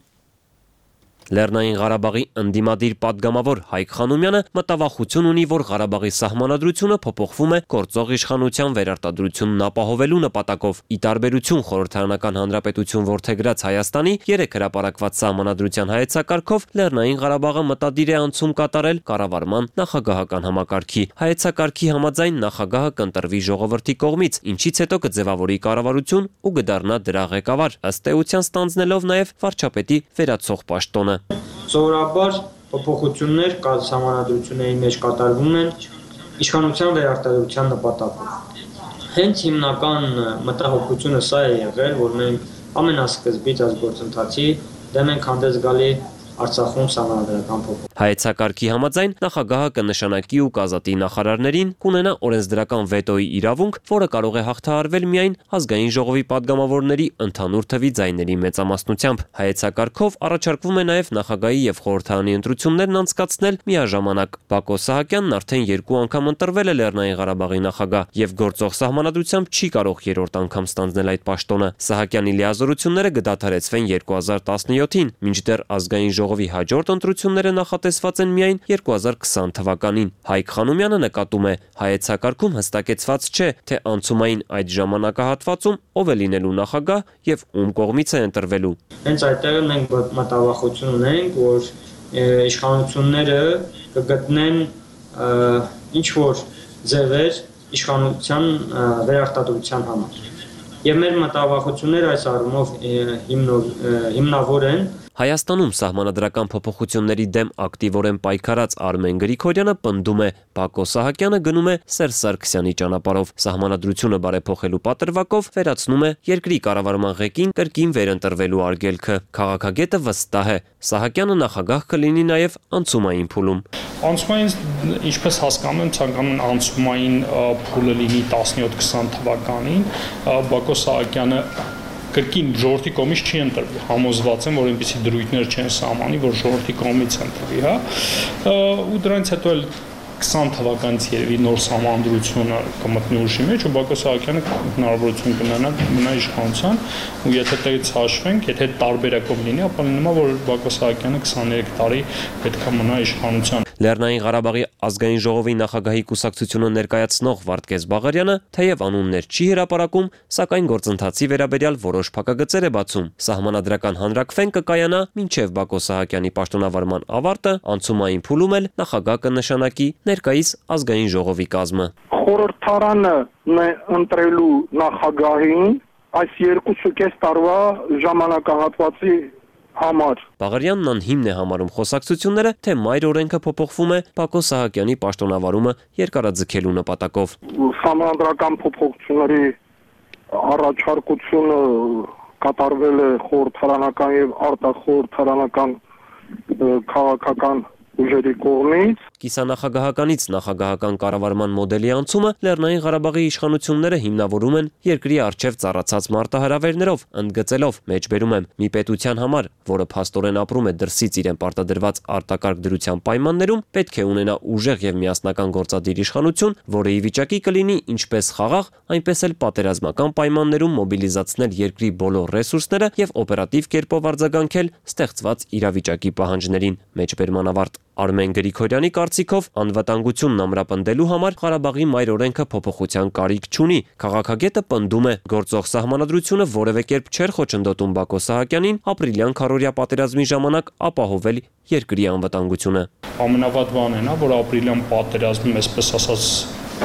S20: Լեռնային Ղարաբաղի ընդդիմադիր падգամավոր Հայկ Խանոմյանը մտավախություն ունի, որ Ղարաբաղի սահմանադրությունը փոփոխվում է գործող իշխանության վերարտադրությունն ապահովելու նպատակով։ Ի տարբերություն խորհրդարանական հանրապետություն որդեգրած Հայաստանի 3 հրապարակված սահմանադրության հայեցակարգով Լեռնային Ղարաբաղը մտադիր է անցում կատարել կառավարման նախագահական համակարգի։ Հայեցակարգի համաձայն նախագահը կընտրվի ժողովրդի կողմից, ինչից հետո կձևավորի կառավարություն ու կդառնա դրա ղեկավար, ըստ էության ստանձնելով նաև վարչապետի վերացող պաշտոնը։
S21: Սովորաբար փոփոխություններ սահմանադրությունների մեջ կատարվում են իշխանության վերարտադրության նպատակով։ Հենց հիմնական մտահոգությունը սա է եղել, որ մենք ամենասկզբից այս գործընթացի դեմ ենք հանդես գալի Արցախում սահմանադրական փոփոխություն։
S20: Հայեցակարգի համաձայն նախագահը կնշանակի ու կազատի նախարարներին, կունենա օրենսդրական վետոյի իրավունք, որը կարող է հաղթահարվել միայն ազգային ժողովի падգամավորների ընդհանուր թվի ձայների մեծամասնությամբ։ Հայեցակարգով առաջարկվում է նաև նախագահի եւ խորհրդարանի ընտրություններն անցկացնել միաժամանակ։ Բակո Սահակյանն արդեն 2 անգամ ընտրվել է Լեռնային Ղարաբաղի նախագահ եւ գործող սահմանադրությամբ չի կարող 3-րդ անգամ ստանձնել այդ պաշտոնը։ Սահակյանի լիազորությունները կդադարեցվեն 2017-ին, մինչդեռ ազգային ժողովի հաջորդ ընտրությունները նախատեսված են միայն 2020 թվականին։ Հայկ Խանոմյանը նկատում է, հայեցակարգում հստակեցված չէ, թե անցումային այդ ժամանակահատվածում ով է լինելու նախագահ եւ ում կողմից է ընտրվելու։
S21: Հենց այդտեղ մենք մտավախություն ունենք, որ իշխանությունները կգտնեն ինչ որ ձևեր իշխանության վերարտադրության համար։ Եվ մեր մտավախությունները այս առումով հիմնավոր են։
S20: Հայաստանում սահմանադրական փոփոխությունների դեմ ակտիվորեն պայքարած Արմեն Գրիգորյանը պնդում է, Բակո Սահակյանը գնում է Սերժ Սարգսյանի ճանապարհով, սահմանադրությունը բարեփոխելու պատրվակով վերացնում է երկրի կառավարման ղեկին կրկին վերընտրվելու արգելքը։ Քաղաքագետը վստահ է, Սահակյանը նախագահ կլինի նաև անցումային փուլում։
S22: Անցումային, ինչպես հասկանում եմ, ցանկանում են անցումային փուլը լինի 17-20 թվականին, Բակո Սահակյանը կրկին ժողովրդի կողմից չի ընտրվի, համոզված եմ, որ այնպիսի դրույթներ չեն սահմանի, որ ժողովրդի կողմից ընտրվի, հա, ու դրանից հետո էլ 20 թվականից երևի նոր սահմանադրությունը կմտնի ուժի մեջ ու Բակո Սահակյանը հնարավորություն կունենա իշխանության ու եթե դից հաշվենք, եթե տարբերակով լինի, ապա լինում է, որ Բակո Սահակյանը 23 տարի պետք է մնա իշխանության։
S20: Լեռնային Ղարաբաղի ազգային ժողովի նախագահի կուսակցությունը ներկայացնող Վարդգես Բաղարյանը թեև անուններ չի հրապարակում, սակայն գործընթացի վերաբերյալ որոշ փակագծեր է բացում։ Սահմանադրական հանրաքվեն կկայանա մինչև Բակո Սահակյանի պաշտոնավարման ավարտը, անցումային փուլում էլ նախագահ կնշանակի ներկայիս ազգային ժողովի կազմը։
S23: Խորհրդարանը ընտրելու նախագահին այս 2.5 տարվա ժամանակահատվածի
S2: համար։
S20: Բաղարյանն անհիմն է համարում խոսակցությունները, թե մայր օրենքը փոփոխվում է Բակո Սահակյանի պաշտոնավարումը երկարաձգելու նպատակով։
S2: Սահմանադրական փոփոխությունների առաջարկությունը կատարվել է խորհրդարանական եւ արտախորհրդարանական քաղաքական ուժերի կողմից։
S20: Կիսանախագահականից նախագահական կառավարման մոդելի անցումը Լեռնային Ղարաբաղի իշխանությունները հիմնավորում են երկրի առջև ծառացած մարտահրավերներով, ընդգծելով, մեջբերում եմ, մի պետության համար, որը փաստորեն ապրում է դրսից իրեն պարտադրված արտակարգ դրության պայմաններում, պետք է ունենա ուժեղ եւ միասնական գործադիր իշխանություն, որը ի վիճակի կլինի ինչպես խաղաղ, այնպես էլ պատերազմական պայմաններում մոբիլիզացնել երկրի բոլոր ռեսուրսները եւ օպերատիվ կերպով արձագանքել ստեղծված իրավիճակի պահանջներին, մեջբերման ավարտ։ Արմեն Գրիգորյանի կարծիքով անվտանգությունն ամրապնդելու համար Ղարաբաղի մայր օրենքը փոփոխության կարիք չունի։ Քաղաքագետը պնդում է, գործող սահմանադրությունը որևէ կերպ չէր խոչընդոտում Բակո Սահակյանին ապրիլյան քարոզիա պատերազմի ժամանակ ապահովել երկրի անվտանգությունը։
S22: Ամենավատ բանն է, որ ապրիլյան պատերազմում, այսպես ասած,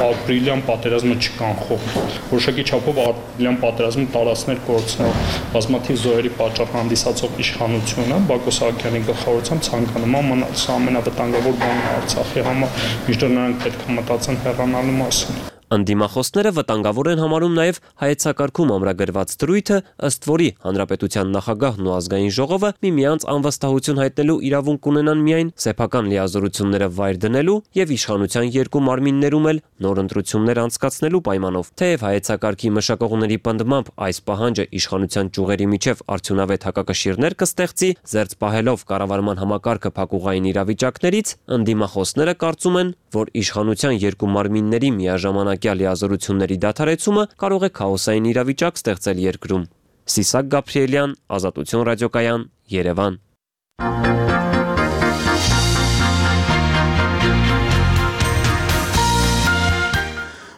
S22: ապրիլյան պատերազմը չկանխողել։ Որոշակի չափով ապրիլյան պատերազմում տարածքներ կորցնող բազմաթիվ զոհերի պատճառ հանդիսացող իշխանությունը Բակո Սահակյանի գլխավորությամբ ցանկանում է մնալ։ Սա ամենավտանգավոր բանն է Արցախի համար, մինչդեռ նրանք պետք է մտածեն հեռանալու մասին։
S20: Ընդդիմախոսները վտանգավոր են համարում նաև հայեցակարգում ամրագրված դրույթը, ըստ որի հանրապետության նախագահն ու ազգային ժողովը միմյանց անվստահություն հայտնելու իրավունք ունենան միայն սեփական լիազորությունները վայր դնելու եւ իշխանության երկու մարմիններում էլ նոր ընտրություններ անցկացնելու պայմանով։ Թեև հայեցակարգի մշակողների պնդմամբ այս պահանջը իշխանության ճյուղերի միջև արդյունավետ հակակշիռներ կստեղծի, զերծ պահելով կառավարման համակարգը փակուղային իրավիճակներից, ընդդիմախոսները կարծում են, որ իշխանության երկու մարմինների միաժամանակ լիազորությունների դադարեցումը կարող է քաոսային իրավիճակ ստեղծել երկրում։ Սիսակ Գաբրիելյան, Ազատություն ռադիոկայան, Երևան։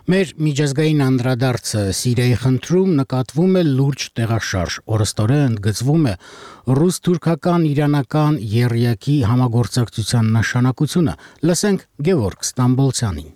S1: Մեր միջազգային անդրադարձը Սիրիայի խնդրում նկատվում է լուրջ տեղաշարժ, օրստորե ընդգծվում է ռուս-թուրքական իրանական եռյակի համագործակցության նշանակությունը։ Լսենք Գևորգ Ստամբոլցյանին։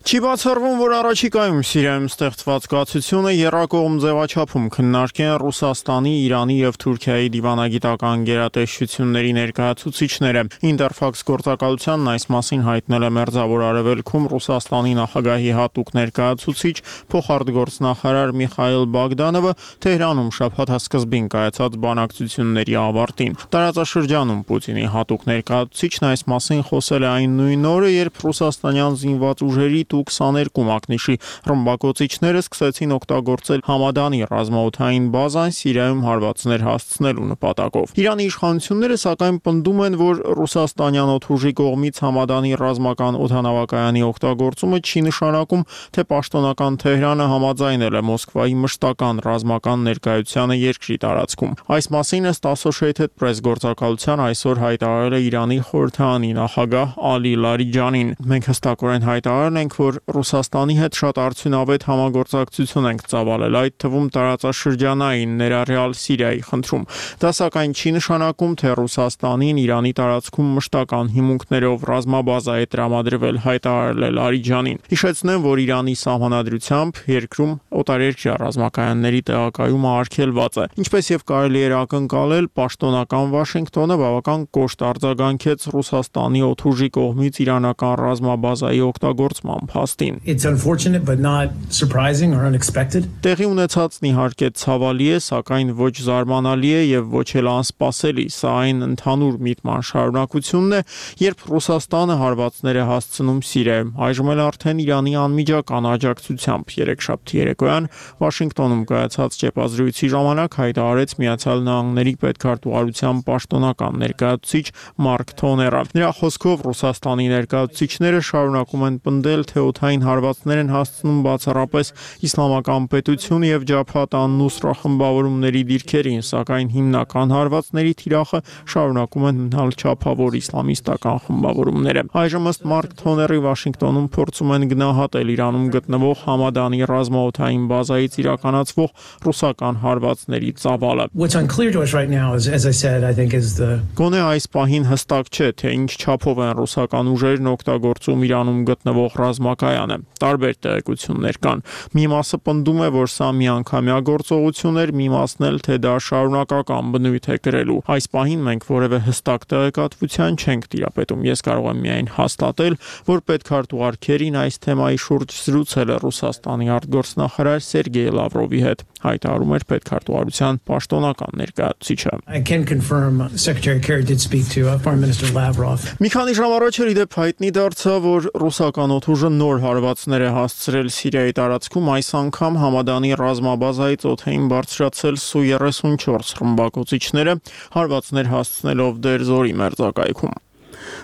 S5: Չի բացառվում, որ առաջիկայում Սիրիայում ստեղծված կացությունը եռակողմ ձևաչափում քննարկեն Ռուսաստանի, Իրանի եւ Թուրքիայի դիվանագիտական գերատեսչությունների ներկայացուցիչները։ Ինտերֆաքս գործակալությանն այս մասին հայտնել է Մերձավոր Արևելքում Ռուսաստանի նախագահի հատուկ ներկայացուցիչ փոխարտգործնախարար Միխայել Բագդանովը Թեհրանում շաբաթ սկզբին կայացած բանակցությունների ավարտին։ Տարածաշրջանում Պուտինի հատուկ ներկայացուցիչն այս մասին խոսել է այն նույն օրը, երբ ռուսաստանյան զինված ուժերի 22 մակնիշի ռմբակոծիչները սկսեցին օգտագործել Համադանի ռազմաօդային բազան Սիրիայում հարվածներ հասցնելու նպատակով։ Իրանի իշխանությունները սակայն պնդում են, որ ռուսաստանյան օդուժի կողմից Համադանի ռազմական օդանավակայանի օգտագործումը չի նշանակում, թե պաշտոնական Թեհրանը համաձայնել է Մոսկվայի մշտական ռազմական ներկայությանը երկրի տարածքում։ Այս մասին ըստ Associated Press գործակալության այսօր հայտարարել է Իրանի խորհրդարանի նախագահ Ալի Լարիջանին։ Մենք հստակորեն հայտարարել ենք, որ Ռուսաստանի հետ շատ արդյունավետ համագործակցություն ենք ծավալել, այդ թվում տարածաշրջանային ներառյալ Սիրիայի խնդրում։ Դա սակայն չի նշանակում, թե Ռուսաստանին Իրանի տարածքում մշտական հիմունքներով ռազմաբազա է տրամադրվել, հայտարարել է Լարիջանին։ Հիշեցնեմ, որ Իրանի սահմանադրությամբ երկրում օտարերկրյա ռազմակայանների տեղակայումը արգելված է։ Ինչպես եւ կարելի էր ակնկալել, պաշտոնական Վաշինգտոնը բավական կոշտ արձագանքեց Ռուսաստանի օդուժի կողմից իրանական ռազմաբազայի օգտագործման փաստին։
S23: It's unfortunate but not surprising or unexpected.
S5: Տեղի ունեցածն իհարկե ցավալի է, սակայն ոչ զարմանալի է եւ ոչ էլ անսպասելի։ Սա այն ընդհանուր միտման շարունակությունն է, երբ Ռուսաստանը հարվածներ է հասցնում Սիրիայում։ Այժմ էլ արդեն Իրանի անմիջական աջակցությամբ երեքշաբթի երեկոյան Վաշինգտոնում կայացած ճեպազրույցի ժամանակ հայտարարեց Միացյալ Նահանգների պետքարտուղարության պաշտոնական ներկայացուցիչ Մարկ Թոները։ Նրա խոսքով Ռուսաստանի ներկայացուցիչները շարունակում են պնդել, թե օդային հարվածներ են հասցնում բացառապես Իսլամական պետություն եւ Ջաբհաթ ան-Նուսրա խմբավորումների դիրքերին, սակայն հիմնական հարվածների թիրախը շարունակում են մնալ չափավոր իսլամիստական խմբավորումները։ Այժմ ըստ Մարկ Թոների Վաշինգտոնում փորձում են գնահատել Իրանում գտնվող Համադանի ռազմաօդային բազայից իրականացվող ռուսական հարվածների ծավալը։
S23: What's unclear to us right now is, as I said, I think is the
S5: Գոնե այս պահին հստակ չէ, թե ինչ չափով են ռուսական ուժերն օգտագործում Իրանում գտնվող ռազմակայանը։ Տարբեր տեղեկություններ կան։ Մի մասը պնդում է, որ սա միանգամյա գործողություն էր, մի մասն էլ թե դա շարունակական բնույթ է կրելու։ Այս պահին մենք որևէ հստակ տեղեկատվության չենք տիրապետում։ Ես կարող եմ միայն հաստատել, որ պետքարտուղար Քերին այս թեմայի շուրջ զրուցել է Ռուսաստանի արտգործնախարար Սերգեյ Լավրովի հետ, հայտարարում էր պետքարտուղարության պաշտոնական ներկայացուցիչը։
S23: I can confirm Secretary Kerry did speak to Foreign Minister Lavrov.
S5: Մի քանի ժամ առաջ ի դեպ հայտնի դարձավ, որ ռուսական օդուժը նոր հարվածներ է հասցրել Սիրիայի տարածքում, այս անգամ Համադանի ռազմաբազայից օդային բարձրացել Su-34 ռմբակոծիչները, հարվածներ հասցնելով Դերզորի մերձակայքում։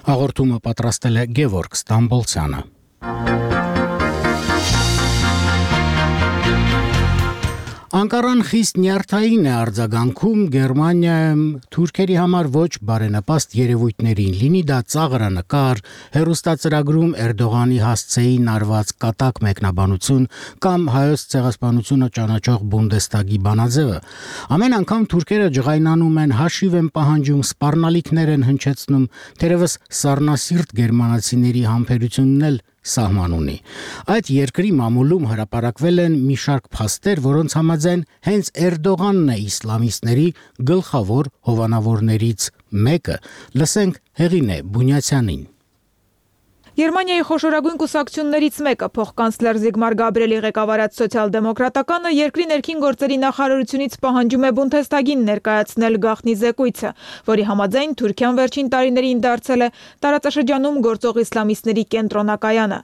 S1: Հաղորդումը պատրաստել է Գևորգ Ստամբոլցյանը։ Անկարան խիստ նյարդային է արձագանքում Գերմանիայում թուրքերի համար ոչ բարենպաստ երևույթներին, լինի դա ծաղրանկար, հեռուստածրագրում Էրդողանի հասցեին արված կատակ մեկնաբանություն կամ հայոց ցեղասպանությունը ճանաչող Բունդեստագի բանաձևը։ Ամեն անգամ թուրքերը ջղայնանում են, հաշիվ են պահանջում, սպառնալիքներ են հնչեցնում, թերևս սառնասիրտ գերմանացիների համբերությունն էլ սահման ունի։ Այդ երկրի մամուլում հրապարակվել են մի շարք փաստեր, որոնց համաձայն հենց Էրդողանն է իսլամիստների գլխավոր հովանավորներից մեկը։ Լսենք Հեղինե Բունյացյանին։
S6: Գերմանիայի խոշորագույն կուսակցություններից մեկը, փոխկանցլեր Զիգմար Գաբրիելի ղեկավարած սոցիալ-դեմոկրատականը երկրի ներքին գործերի նախարարությունից պահանջում է Բունդեստագին ներկայացնել գաղտնի զեկույցը, որի համաձայն Թուրքիան վերջին տարիներին դարձել է տարածաշրջանում գործող իսլամիստների կենտրոնակայանը։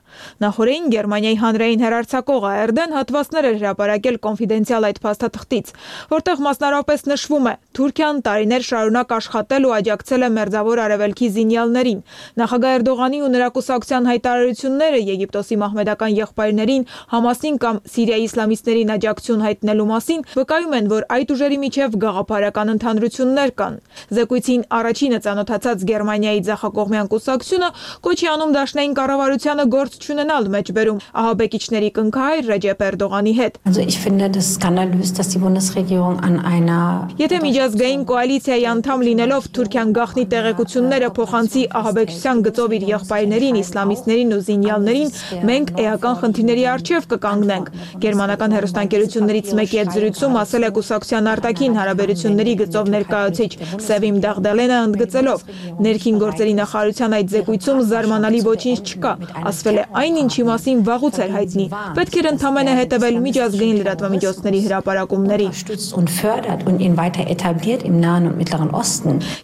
S6: Նախորդին Գերմանիայի հանրային հեռարձակող ARD-ն հատվածներ էր հրապարակել կոնֆիդենցիալ այդ փաստաթղթից, որտեղ մասնարարապես նշվում է. Թուրքիան տարիներ շարունակ աշխատել ու աջակցել է Մերձավոր Արևելքի զինյալներին։ Նախագահ Էրդողանի ու նրա կուսակցության հայտարարությունները Եգիպտոսի մահմեդական եղբայրներին, Համասին կամ Սիրիայի իսլամիստներին աջակցություն հայտնելու մասին վկայում են, որ այդ ուժերի միջև գաղափարական ընդհանրություններ կան։ Զեկույցին առաջինը ծանոթացած Գերմանիայի ձախակողմյան կուսակցությունը կոչ է անում դաշնային կառավարությանը գործ չունենալ մեջբերում ահաբեկիչների կնքահայր Ռեջեփ Էրդողանի հետ։ Եթե միջազգային կոալիցիայի անդամ լինելով Թուրքիան գաղտնի տեղեկությունները փոխանցի ահաբեկչության գծով իր եղբայրներին, իսլամիստներին ու զինյալներին, մենք էական խնդիրների առջև կկանգնենք։ Գերմանական հեռուստաընկերություններից մեկի հետ զրույցում ասել է կուսակցության արտաքին հարաբերությունների գծով ներկայացուցիչ Սևիմ Դաղդալենը, ընդգծելով. ներքին գործերի նախարարության այդ զեկույցում զարմանալի ոչինչ չկա, ասվել է այն, ինչի մասին վաղուց էր հայտնի։ Պետք էր ընդհանրապես հետևել միջազգային լրատվամիջոցների հրապարակումների։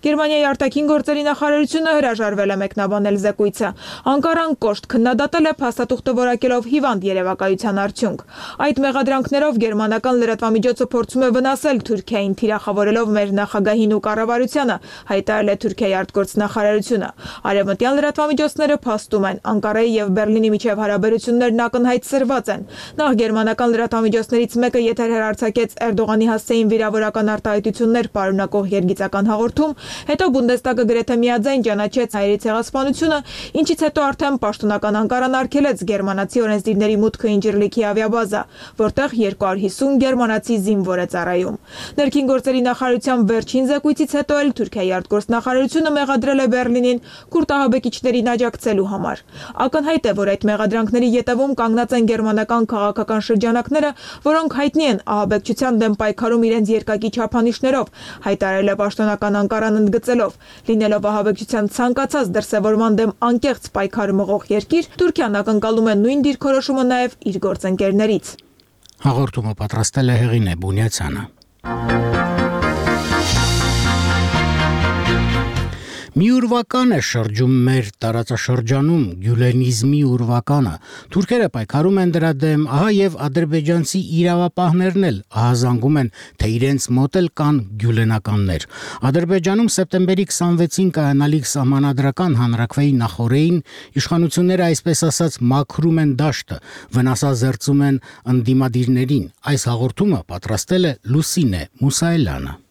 S6: Գերմանիայի արտաքին գործերի նախարարությունը հրաժարվել է մեկնաբանել զեկույցը։ Անկարան կոշտ քննադատել է փաստաթուղթը որակելով հիվանդ երևակայության արդյունք։ Այդ մեղադրանքներով գերմանական լրատվամիջոցը փորձում է վնասել Թուրքիային, թիրախավորելով մեր նախագահին ու կառավարությանը, հայտարարել է Թուրքիայի արտգործնախարարությունը։ Արևմտյան լրատվամիջոցները փաստում են, Անկարայի եւ Բերլինի միջև հարաբերություններն ակնհայտ սրված են։ Նախ գերմանական լրատվամիջոցներից մեկը եթեր հեռարձակեց Էրդողանի հասցեին վիրավորական արտահայտություններ պարունակող երգիծական հաղորդում, հետո Բունդեստագը գրեթե միաձայն ճանաչեց հայերի ցեղասպանությունը, ինչից հետո արդեն պաշտոնական Անկարան արգելեց գերմանացի օրենսդիրների մուտքը Ինջիրլիքի ավիաբազա, որտեղ 250 գերմանացի զինվոր է ծառայում։ Ներքին գործերի նախարարության վերջին զեկույցից հետո էլ Թուրքիայի արտգործնախարարությունը մեղադրել է Բերլինին քուրդ ահաբեկիչներին աջակցելու համար։ Ակնհայտ է, որ այդ մեղադրանքների ետևում կանգնած են գերմանական քաղաքական շրջանակները, որոնք հայտնի են ահաբեկչության դեմ պայքարում իրենց երկակի չափանիշներով, հայտարարել է պաշտոնական Անկարան ընդգծելով. լինելով ահաբեկչության ցանկացած դրսևորման դեմ անկեղծ պայքար մղող երկիր, Թուրքիան ակնկալում է նույն դիրքորոշումը նաև իր գործընկերներից։
S1: Հաղորդումը պատրաստել է Հեղինե Բունյացյանը։ Մի ուրվական է շրջում մեր տարածաշրջանում գյուլենիզմի ուրվականը։ Թուրքերը պայքարում են դրա դեմ, ահա եւ ադրբեջանցի իրավապահներն էլ ահազանգում են, թե իրենց մոտ էլ կան գյուլենականներ։ Ադրբեջանում սեպտեմբերի 26-ին կայանալիք սահմանադրական հանրաքվեի նախօրեին իշխանությունները այսպես ասած մաքրում են դաշտը, վնասազերծում են ընդդիմադիրներին։ Այս հաղորդումը պատրաստել է Լուսինե Մուսայելյանը։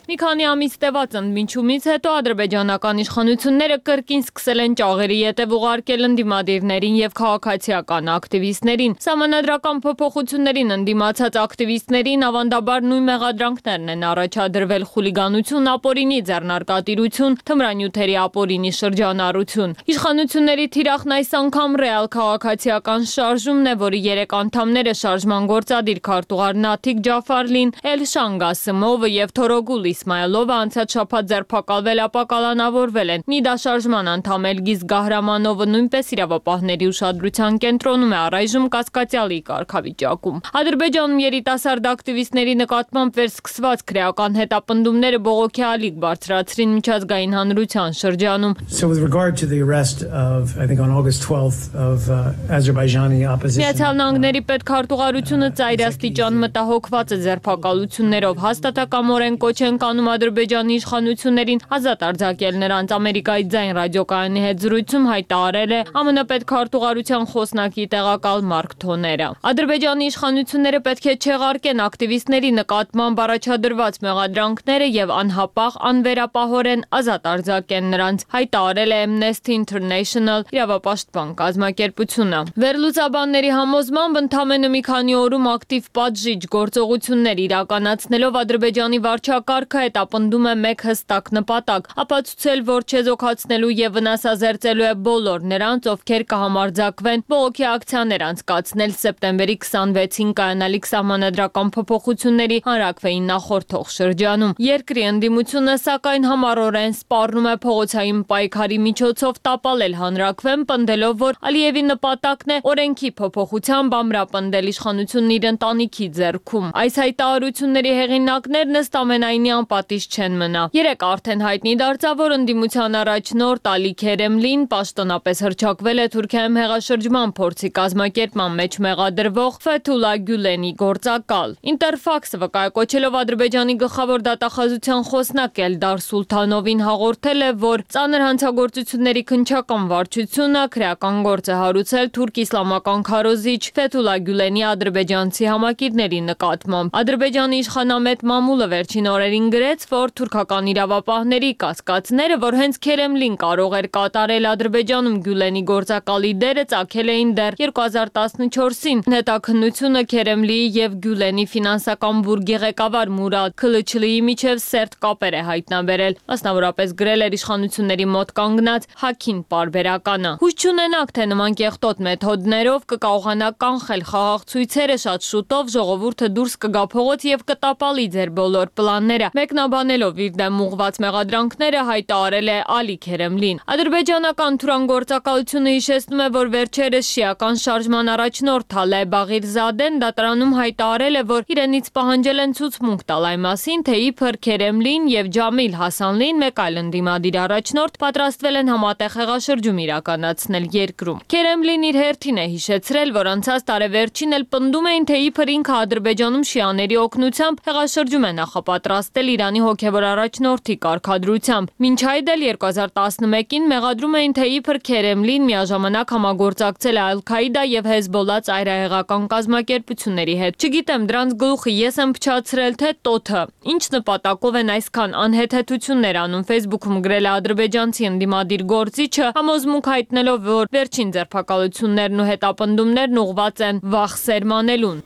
S3: Մի քանի ամիս տևած ընդմիջումից հետո ադրբեջանական իշխանությունները կրկին սկսել են ճաղերի ետև ուղարկել ընդդիմադիրներին եւ քաղաքացիական ակտիվիստներին։ Սահմանադրական փոփոխություններին ընդդիմացած ակտիվիստներին ավանդաբար նույն մեղադրանքներն են առաջադրվել՝ խուլիգանություն, ապօրինի ձեռնարկատիրություն, թմրանյութերի ապօրինի շրջանառություն։ Իշխանությունների թիրախն այս անգամ ռեալ քաղաքացիական շարժումն է, որի 3 անդամները շարժման գործադիր քարտուղար Նաթիկ Ջաֆարլին, Էլշան Գասիմովը եւ Թորոգուլ Իսմայելովը անցած շաբաթ ձերբակալվել ապա կալանավորվել են։ Նիդա շարժման անդամ Էլգիզ Գահրամանովը նույնպես իրավապահների ուշադրության կենտրոնում է առայժմ կասկածյալի կարգավիճակում։ Ադրբեջանում երիտասարդ ակտիվիստների նկատմամբ վերսկսված քրեական հետապնդումները բողոքի ալիք բարձրացրին միջազգային հանրության շրջանում։
S23: So with regard to the arrest of, I think on August 12th of Azerbaijani opposition.
S3: Միացյալ Նահանգների պետքարտուղարությունը ծայրաստիճան մտահոգված է ձերբակալություններով, հաստատակամորեն կոչ են կանում Ադրբեջանի իշխանություններին ազատ արձակել նրանց։ Ամերիկայի ձայն ռադիոկայանի հետ զրույցում հայտարարել է ԱՄՆ պետքարտուղարության խոսնակի տեղակալ Մարկ Թոները։ Ադրբեջանի իշխանությունները պետք է չեղարկեն ակտիվիստների նկատմամբ առաջադրված մեղադրանքները եւ անհապաղ անվերապահորեն ազատ արձակեն նրանց, հայտարարել է Amnesty International իրավապաշտպան կազմակերպությունը։ Վերլուծաբանների համոզմամբ ընդամենը մի քանի օրում ակտիվ պատժիչ գործողություններ իրականացնելով Ադրբեջանի վարչակարգը հետապնդում է մեկ հստակ նպատակ՝ ապացուցել, որ չեզոքացնելու եւ վնասազերծելու է բոլոր նրանց, ովքեր կհամարձակվեն բողոքի ակցիաներ անցկացնել սեպտեմբերի 26-ին կայանալիք սահմանադրական փոփոխությունների հանրակրվեին նախորդող շրջանում։ Երկրի ընդդիմությունը սակայն համառորեն սպառնում է փողոցային պայքարի միջոցով տապալել հանրակրվեն, պնդելով, որ Ալիևի նպատակն է օրենքի փոփոխությամբ ամրապնդել իշխանությունն իր ընտանիքի ձեռքում։ Այս հայտարարությունների հեղինակներն ըստ ամենայնի անպատիժ չեն մնա։ Երեկ արդեն հայտնի դարձավ, որ ընդդիմության առաջնորդ Ալի Քերեմլին պաշտոնապես հռչակվել է Թուրքիայում հեղաշրջման փորձի կազմակերպման մեջ մեղադրվող Ֆեթուլա Գյուլենի գործակալ։ Ինտերֆաքսը վկայակոչելով Ադրբեջանի գլխավոր դատախազության խոսնակ Էլդար Սուլթանովին հաղորդել է, որ ծանր հանցագործությունների քննչական վարչությունը քրեական գործ է հարուցել թուրք իսլամական քարոզիչ Ֆեթուլա Գյուլենի ադրբեջանցի համակիրների նկատմամբ։ Ադրբեջանի իշխանամետ մամուլը վերջին օրերին գրեց, որ թուրքական իրավապահների կասկածները, որ հենց Քերեմլին կարող էր կատարել Ադրբեջանում Գյուլենի գործակալի դերը, ծագել էին դեռ 2014-ին։ Հետաքննությունը Քերեմլիի եւ Գյուլենի ֆինանսական բուրգի ղեկավար Մուրադ Քլիչլիի միջև սերտ կապեր է հայտնաբերել, մասնավորապես գրել էր իշխանությունների մոտ կանգնած Հաքին պարբերականը։ Հույս չունենաք, թե նման կեղտոտ մեթոդներով կկարողանա կանխել խաղաղ ցույցերը, շատ շուտով ժողովուրդը դուրս կգա փողոց եւ կտապալի ձեր բոլոր պլանները։ Մեկնաբանելով իր դեմ ուղղված մեղադրանքները հայտարարել է Ալի Քերեմլին։ Ադրբեջանական Թուրան գործակալությունը հիշեցնում է, որ վերջերս շիական շարժման առաջնորդ Թալե Բաղիրզադեն դատարանում հայտարարել է, որ իրենից պահանջել են ցուցմունք տալ այն մասին, թե իբր Քերեմլին եւ Ջամիլ Հասանլին, մեկ այլ ընդդիմադիր առաջնորդ, պատրաստվել են համատեղ հեղաշրջում իրականացնել երկրում։ Քերեմլին իր հերթին է հիշեցրել, որ անցած տարեվերջին էլ պնդում էին, թե իբր ինքը Ադրբեջանում շիաների օգնությամբ հեղաշրջում է նախապատրաստել Իրանի հոգևոր առաջնորդի կարգադրությամբ։ Մինչ այդ էլ 2011-ին մեղադրում էին, թե իբր Քերեմլին միաժամանակ համագործակցել է Ալ-Քաիդա եւ Հեզբոլլա ծայրահեղական կազմակերպությունների հետ։ Չգիտեմ, դրանց գլուխը ես եմ փչացրել, թե տոթը։ Ինչ նպատակով են այսքան անհեթեթություններ անում, Facebook-ում գրել է ադրբեջանցի ընդդիմադիր գործիչը, համոզմունք հայտնելով, որ վերջին ձերբակալություններն ու հետապնդումներն ուղղված են վախ սերմանելուն։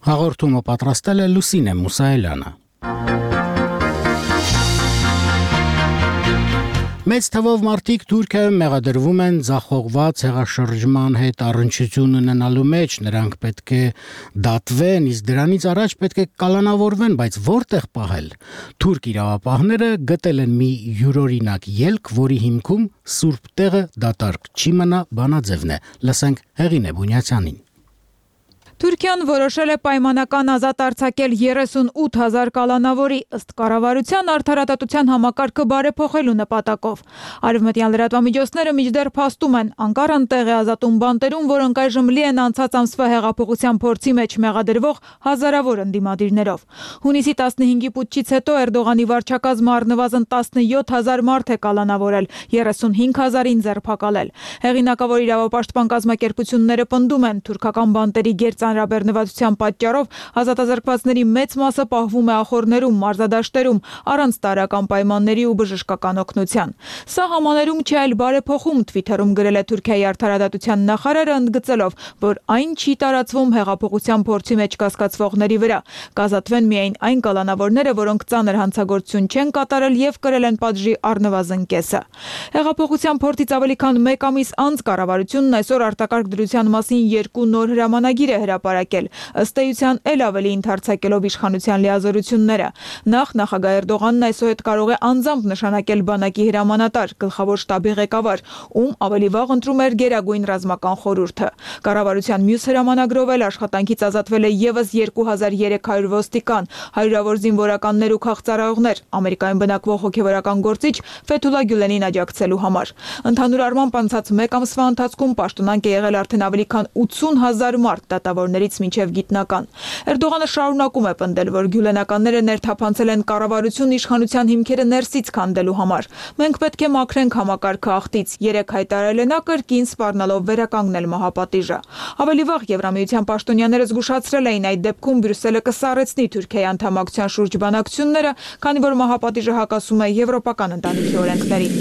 S1: Հաղորդումը պատրաստել է Լուսինե Մուսայելյանը։ Մեծ թվով մարդիկ Թուրքիայում մեղադրվում են ձախողված հեղաշրջման հետ առնչություն ունենալու մեջ, նրանք պետք է դատվեն, իսկ դրանից առաջ պետք է կալանավորվեն, բայց որտեղ պահել։ Թուրք իրավապահները գտել են մի յուրօրինակ ելք, որի հիմքում սուրբ տեղը դատարկ չի մնա, բանաձևն է։ Լսենք Հեղինե Բունյացյանին։
S6: Թուրքիան որոշել է պայմանական ազատ արձակել 38,000 կալանավորի ըստ կառավարության արդարադատության համակարգը բարեփոխելու նպատակով։ Արևմտյան լրատվամիջոցները մինչդեռ փաստում են, Անկարան տեղ է ազատում բանտերում, որոնք այժմ լի են անցած ամսվա հեղափոխության փորձի մեջ մեղադրվող հազարավոր ընդդիմադիրներով։ Հունիսի 15-ի պուտչից հետո Էրդողանի վարչակազմը առնվազն 17,000 մարդ է կալանավորել, 35,000-ին ձերբակալել։ Հեղինակավոր իրավապաշտպան կազմակերպությունները պնդում են, թուրքական բանտերի գերծանր հանրաբեռնվածության պատճառով ազատազրկվածների մեծ մասը պահվում է ախոռներում, մարզադաշտերում, առանց տարրական պայմանների ու բժշկական օգնության։ Սա համաներում չէ, այլ բարեփոխում, Twitter-ում գրել է Թուրքիայի արդարադատության նախարարը, ընդգծելով, որ այն չի տարածվում հեղափոխության փորձի մեջ կասկածվողների վրա։ Կազատվեն միայն այն կալանավորները, որոնք ծանր հանցագործություն չեն կատարել եւ կրել են պատժի առնվազն կեսը։ Հեղափոխության փորձից ավելի քան 1 ամիս անց կառավարությունն այսօր արտակարգ դրության մասին 2 նոր հրամանագիր է հրապարակել, ըստ էության էլ ավելի ընդարձակելով իշխանության լիազորությունները։ Նախ նախագահ Էրդողանն այսօր կարող է անձամբ նշանակել բանակի հրամանատար, գլխավոր շտաբի ղեկավար, ում ավելի վաղ ընտրում էր Գերագույն ռազմական խորհուրդը։ Կառավարության մյուս հրամանագրով էլ աշխատանքից ազատվել է եւս 2300 ոստիկան, հարյուրավոր զինվորականներ ու քաղծառայողներ, Ամերիկայում բնակվող հոգեվորական գործիչ Ֆեթուլա Գյուլենին աջակցելու համար։ Ընդհանուր առմամբ անցած 1 ամսվա ընթացքում պաշտոնանկ է եղել արդեն ավելի քան 80,000 մարդ, դատավորներից մինչև գիտնական։ Էրդողանը շարունակում է պնդել, որ գյուլենականները ներթափանցել են կառավարություն իշխանության հիմքերը ներսից քանդելու համար։ Մենք պետք է մաքրենք համակարգը աղտից, 3 հայտարարել է նա կրկին սպառնալով վերականգնել մահապատիժը։ Ավելի վաղ Եվրամիության պաշտոնյաները զգուշացրել էին այդ դեպքում Բրյուսելը կսառեցնի Թուրքիայի անդամակցության շուրջ բանակցությունները, քանի որ մահապատիժը հակասում է եվրոպական ընտանիքի օրենքներին։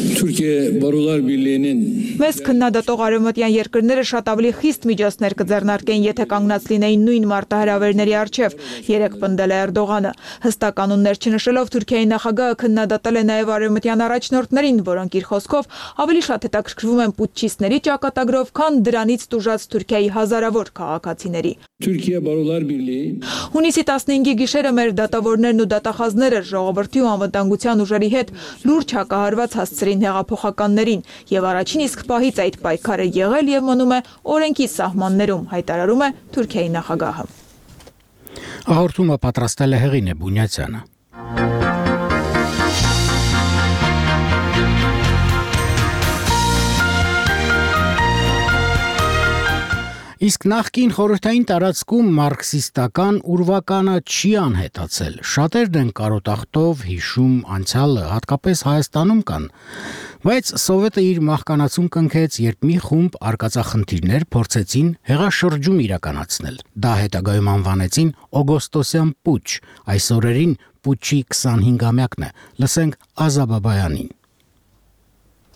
S6: Մեզ քննադատող արևմտյան երկրները շատ ավելի խիստ միջոցներ կձեռնարկեն, եթե կանգնած լինեին նույն մարտահրավերների առջև, երեկ պնդել է Էրդողանը։ Հստակ կանոններ չնշելով Թուրքիայի նախագահը քննադատել է նաև արևմտյան առաջնորդներին, որոնք իր խոսքով ավելի շատ հետաքրքրվում են պուտչիստների ճակատագրով, քան դրանից տուժած Թուրքիայի հազարավոր քաղաքացիների։ Հունիսի 15-ի գիշերը մեր դատավորներն ու դատախազները ժողովրդի ու անվտանգության ուժերի հետ լուրջ հակահարված հասցրին հեղափոխականներին, եւ առաջին իսկ պահից այդ պայքարը եղել եւ մնում է օրենքի սահմաններում, հայտարարում է Թուրքիայի նախագահը։
S1: Հաղորդումը պատրաստել է Հեղինե Բունյացյանը։ Իսկ նախկին խորհրդային տարածքում մարքսիստական ուրվականը չի անհետացել։ Շատերն են կարոտախտով հիշում անցյալը, հատկապես Հայաստանում կան։ Բայց Սովետը իր մահկանացուն կնքեց, երբ մի խումբ արկածախնդիրներ փորձեցին հեղաշրջում իրականացնել։ Դա հետագայում անվանեցին օգոստոսյան պուչ։ Այս օրերին պուչի 25-ամյակն է։ Լսենք Ազա Բաբայանին։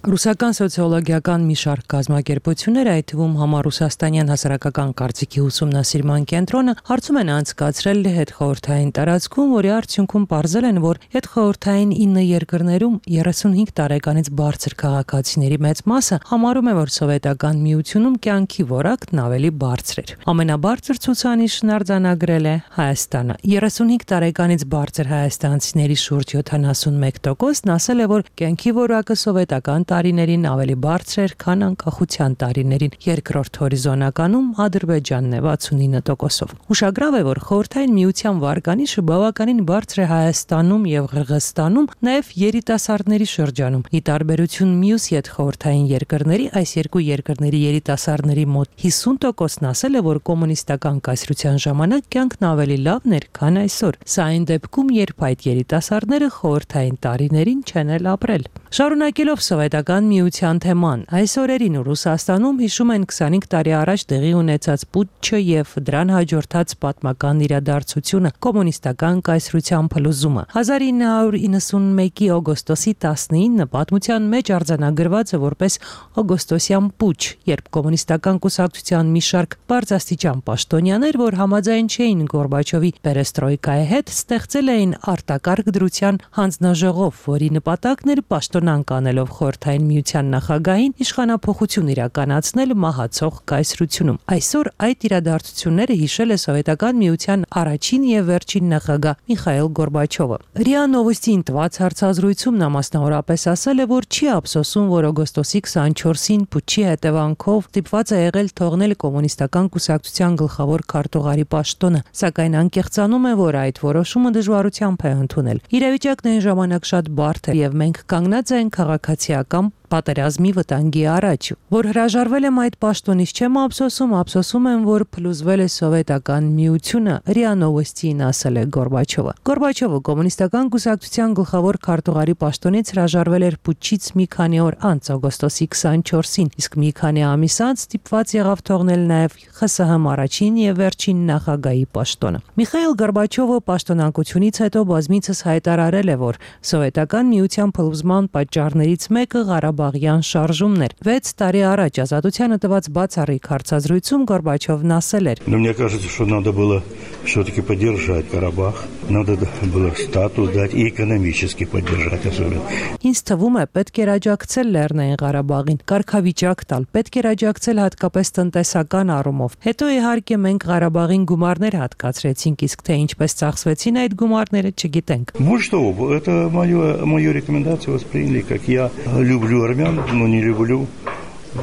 S7: Ռուսական սոցիոլոգիական մի շարք կազմակերպություններ, այդ թվում համառուսաստանյան հասարակական կարծիքի ուսումնասիրման կենտրոնը, հարցում են անցկացրել հետխորհրդային տարածքում, որի արդյունքում պարզել են, որ հետխորհրդային 9 երկրներում 35 տարեկանից բարձր քաղաքացիների մեծ մասը համարում է, որ սովետական միությունում կյանքի որակն ավելի բարձր էր։ Ամենաբարձր ցուցանիշն արձանագրել է Հայաստանը։ 35 տարեկանից բարձր հայաստանցիների շուրջ 71%-ն ասել է, որ կյանքի որակը սովետական տարիներին ավելի բարձր էր, քան անկախության տարիներին։ Երկրորդ հորիզոնականում Ադրբեջանն է 69%-ով։ Ուշագրավ է, որ խորհրդային միության վարկանիշը բավականին բարձր է Հայաստանում եւ Ղրղստանում, նաեւ երիտասարդների շրջանում։ Ի տարբերություն մյուս յետխորհրդային երկրների, այս երկու երկրների երիտասարդների մոտ 50%-ն ասել է, որ կոմունիստական կայսրության ժամանակ կյանքն ավելի լավն էր, քան այսօր։ Սա այն դեպքում, երբ այդ երիտասարդները խորհրդային տարիներին չեն էլ ապրել։ Շարունակելով Սովետական միության թեման, այս օրերին Ռուսաստանում հիշում են 25 տարի առաջ տեղի ունեցած պուտչը եւ դրան հաջորդած պատմական իրադարձությունը, կոմունիստական կայսրության փլուզումը։ 1991-ի օգոստոսի 19-ը պատմության մեջ արձանագրված է որպես օգոստոսյան պուչ, երբ կոմունիստական կուսակցության մի շարք բարձրաստիճան պաշտոնյաներ, որ համաձայն չէին Գորբաչովի պերեստրոյկայի հետ, ստեղծել էին արտակարգ դրության հանձնաժողով, որի նպատակն էր պաշտոնանկ անելով խորհրդային միության նախագահին իշխանափոխություն իրականացնել մահացող կայսրությունում։ Այսօր այդ իրադարձությունները հիշել է Սովետական միության առաջին եւ վերջին նախագահ Միխայիլ Գորբաչովը։ ՌԻԱ Նովոստին տված հարցազրույցում նա մասնավորապես ասել է, որ չի ափսոսում, որ օգոստոսի 24-ին պուչի հետևանքով ստիպված է եղել թողնել կոմունիստական կուսակցության գլխավոր քարտուղարի պաշտոնը, սակայն անկեղծանում է, որ այդ որոշումը դժվարությամբ է ընդունել։ Իրավիճակն այն ժամանակ շատ բարդ է եւ մենք կանգնած ենք քաղաքացիական պատերազմի վտանգի առաջ։ Որ հրաժարվել եմ այդ պաշտոնից չեմ ափսոսում եմ, որ փլուզվել է սովետական միությունը, ՌԻԱ Նովոստիին ասել է Գորբաչովը։ Գորբաչովը կոմունիստական կուսակցության գլխավոր քարտուղարի պաշտոնից հրաժարվել էր պուտչից մի քանի օր անց օգոստոսի 24-ին, իսկ մի քանի ամիս անց ստիպված եղավ թողնել նաև ԽՍՀՄ առաջին եւ վերջին նախագահի պաշտոնը։ Միխայիլ Գորբաչովը պաշտոնակությունից հետո բազմիցս հայտարարել է, որ սովետական միության փլուզման պատճառներից մեկը Ղարաբաղյան շարժումն էր։ 6 տարի առաջ Ազատությանը տված բացառիկ հարցազրույցում Գորբաչովն ասել էր.
S8: Мне кажется, что надо было все-таки поддержать Карабах, надо было статус дать и экономически поддержать особенно.
S7: Ինձ թվում է պետք էր աջակցել Լեռնային Ղարաբաղին, կարգավիճակ տալ, պետք էր աջակցել հատկապես տնտեսական առումով։ Հետո իհարկե մենք Ղարաբաղին գումարներ հատկացրեցինք, իսկ թե ինչպես ծախսվեցին այդ գումարները չգիտենք։
S8: Вот что, это мою рекомендацию восприняли, как я люблю армян, но не люблю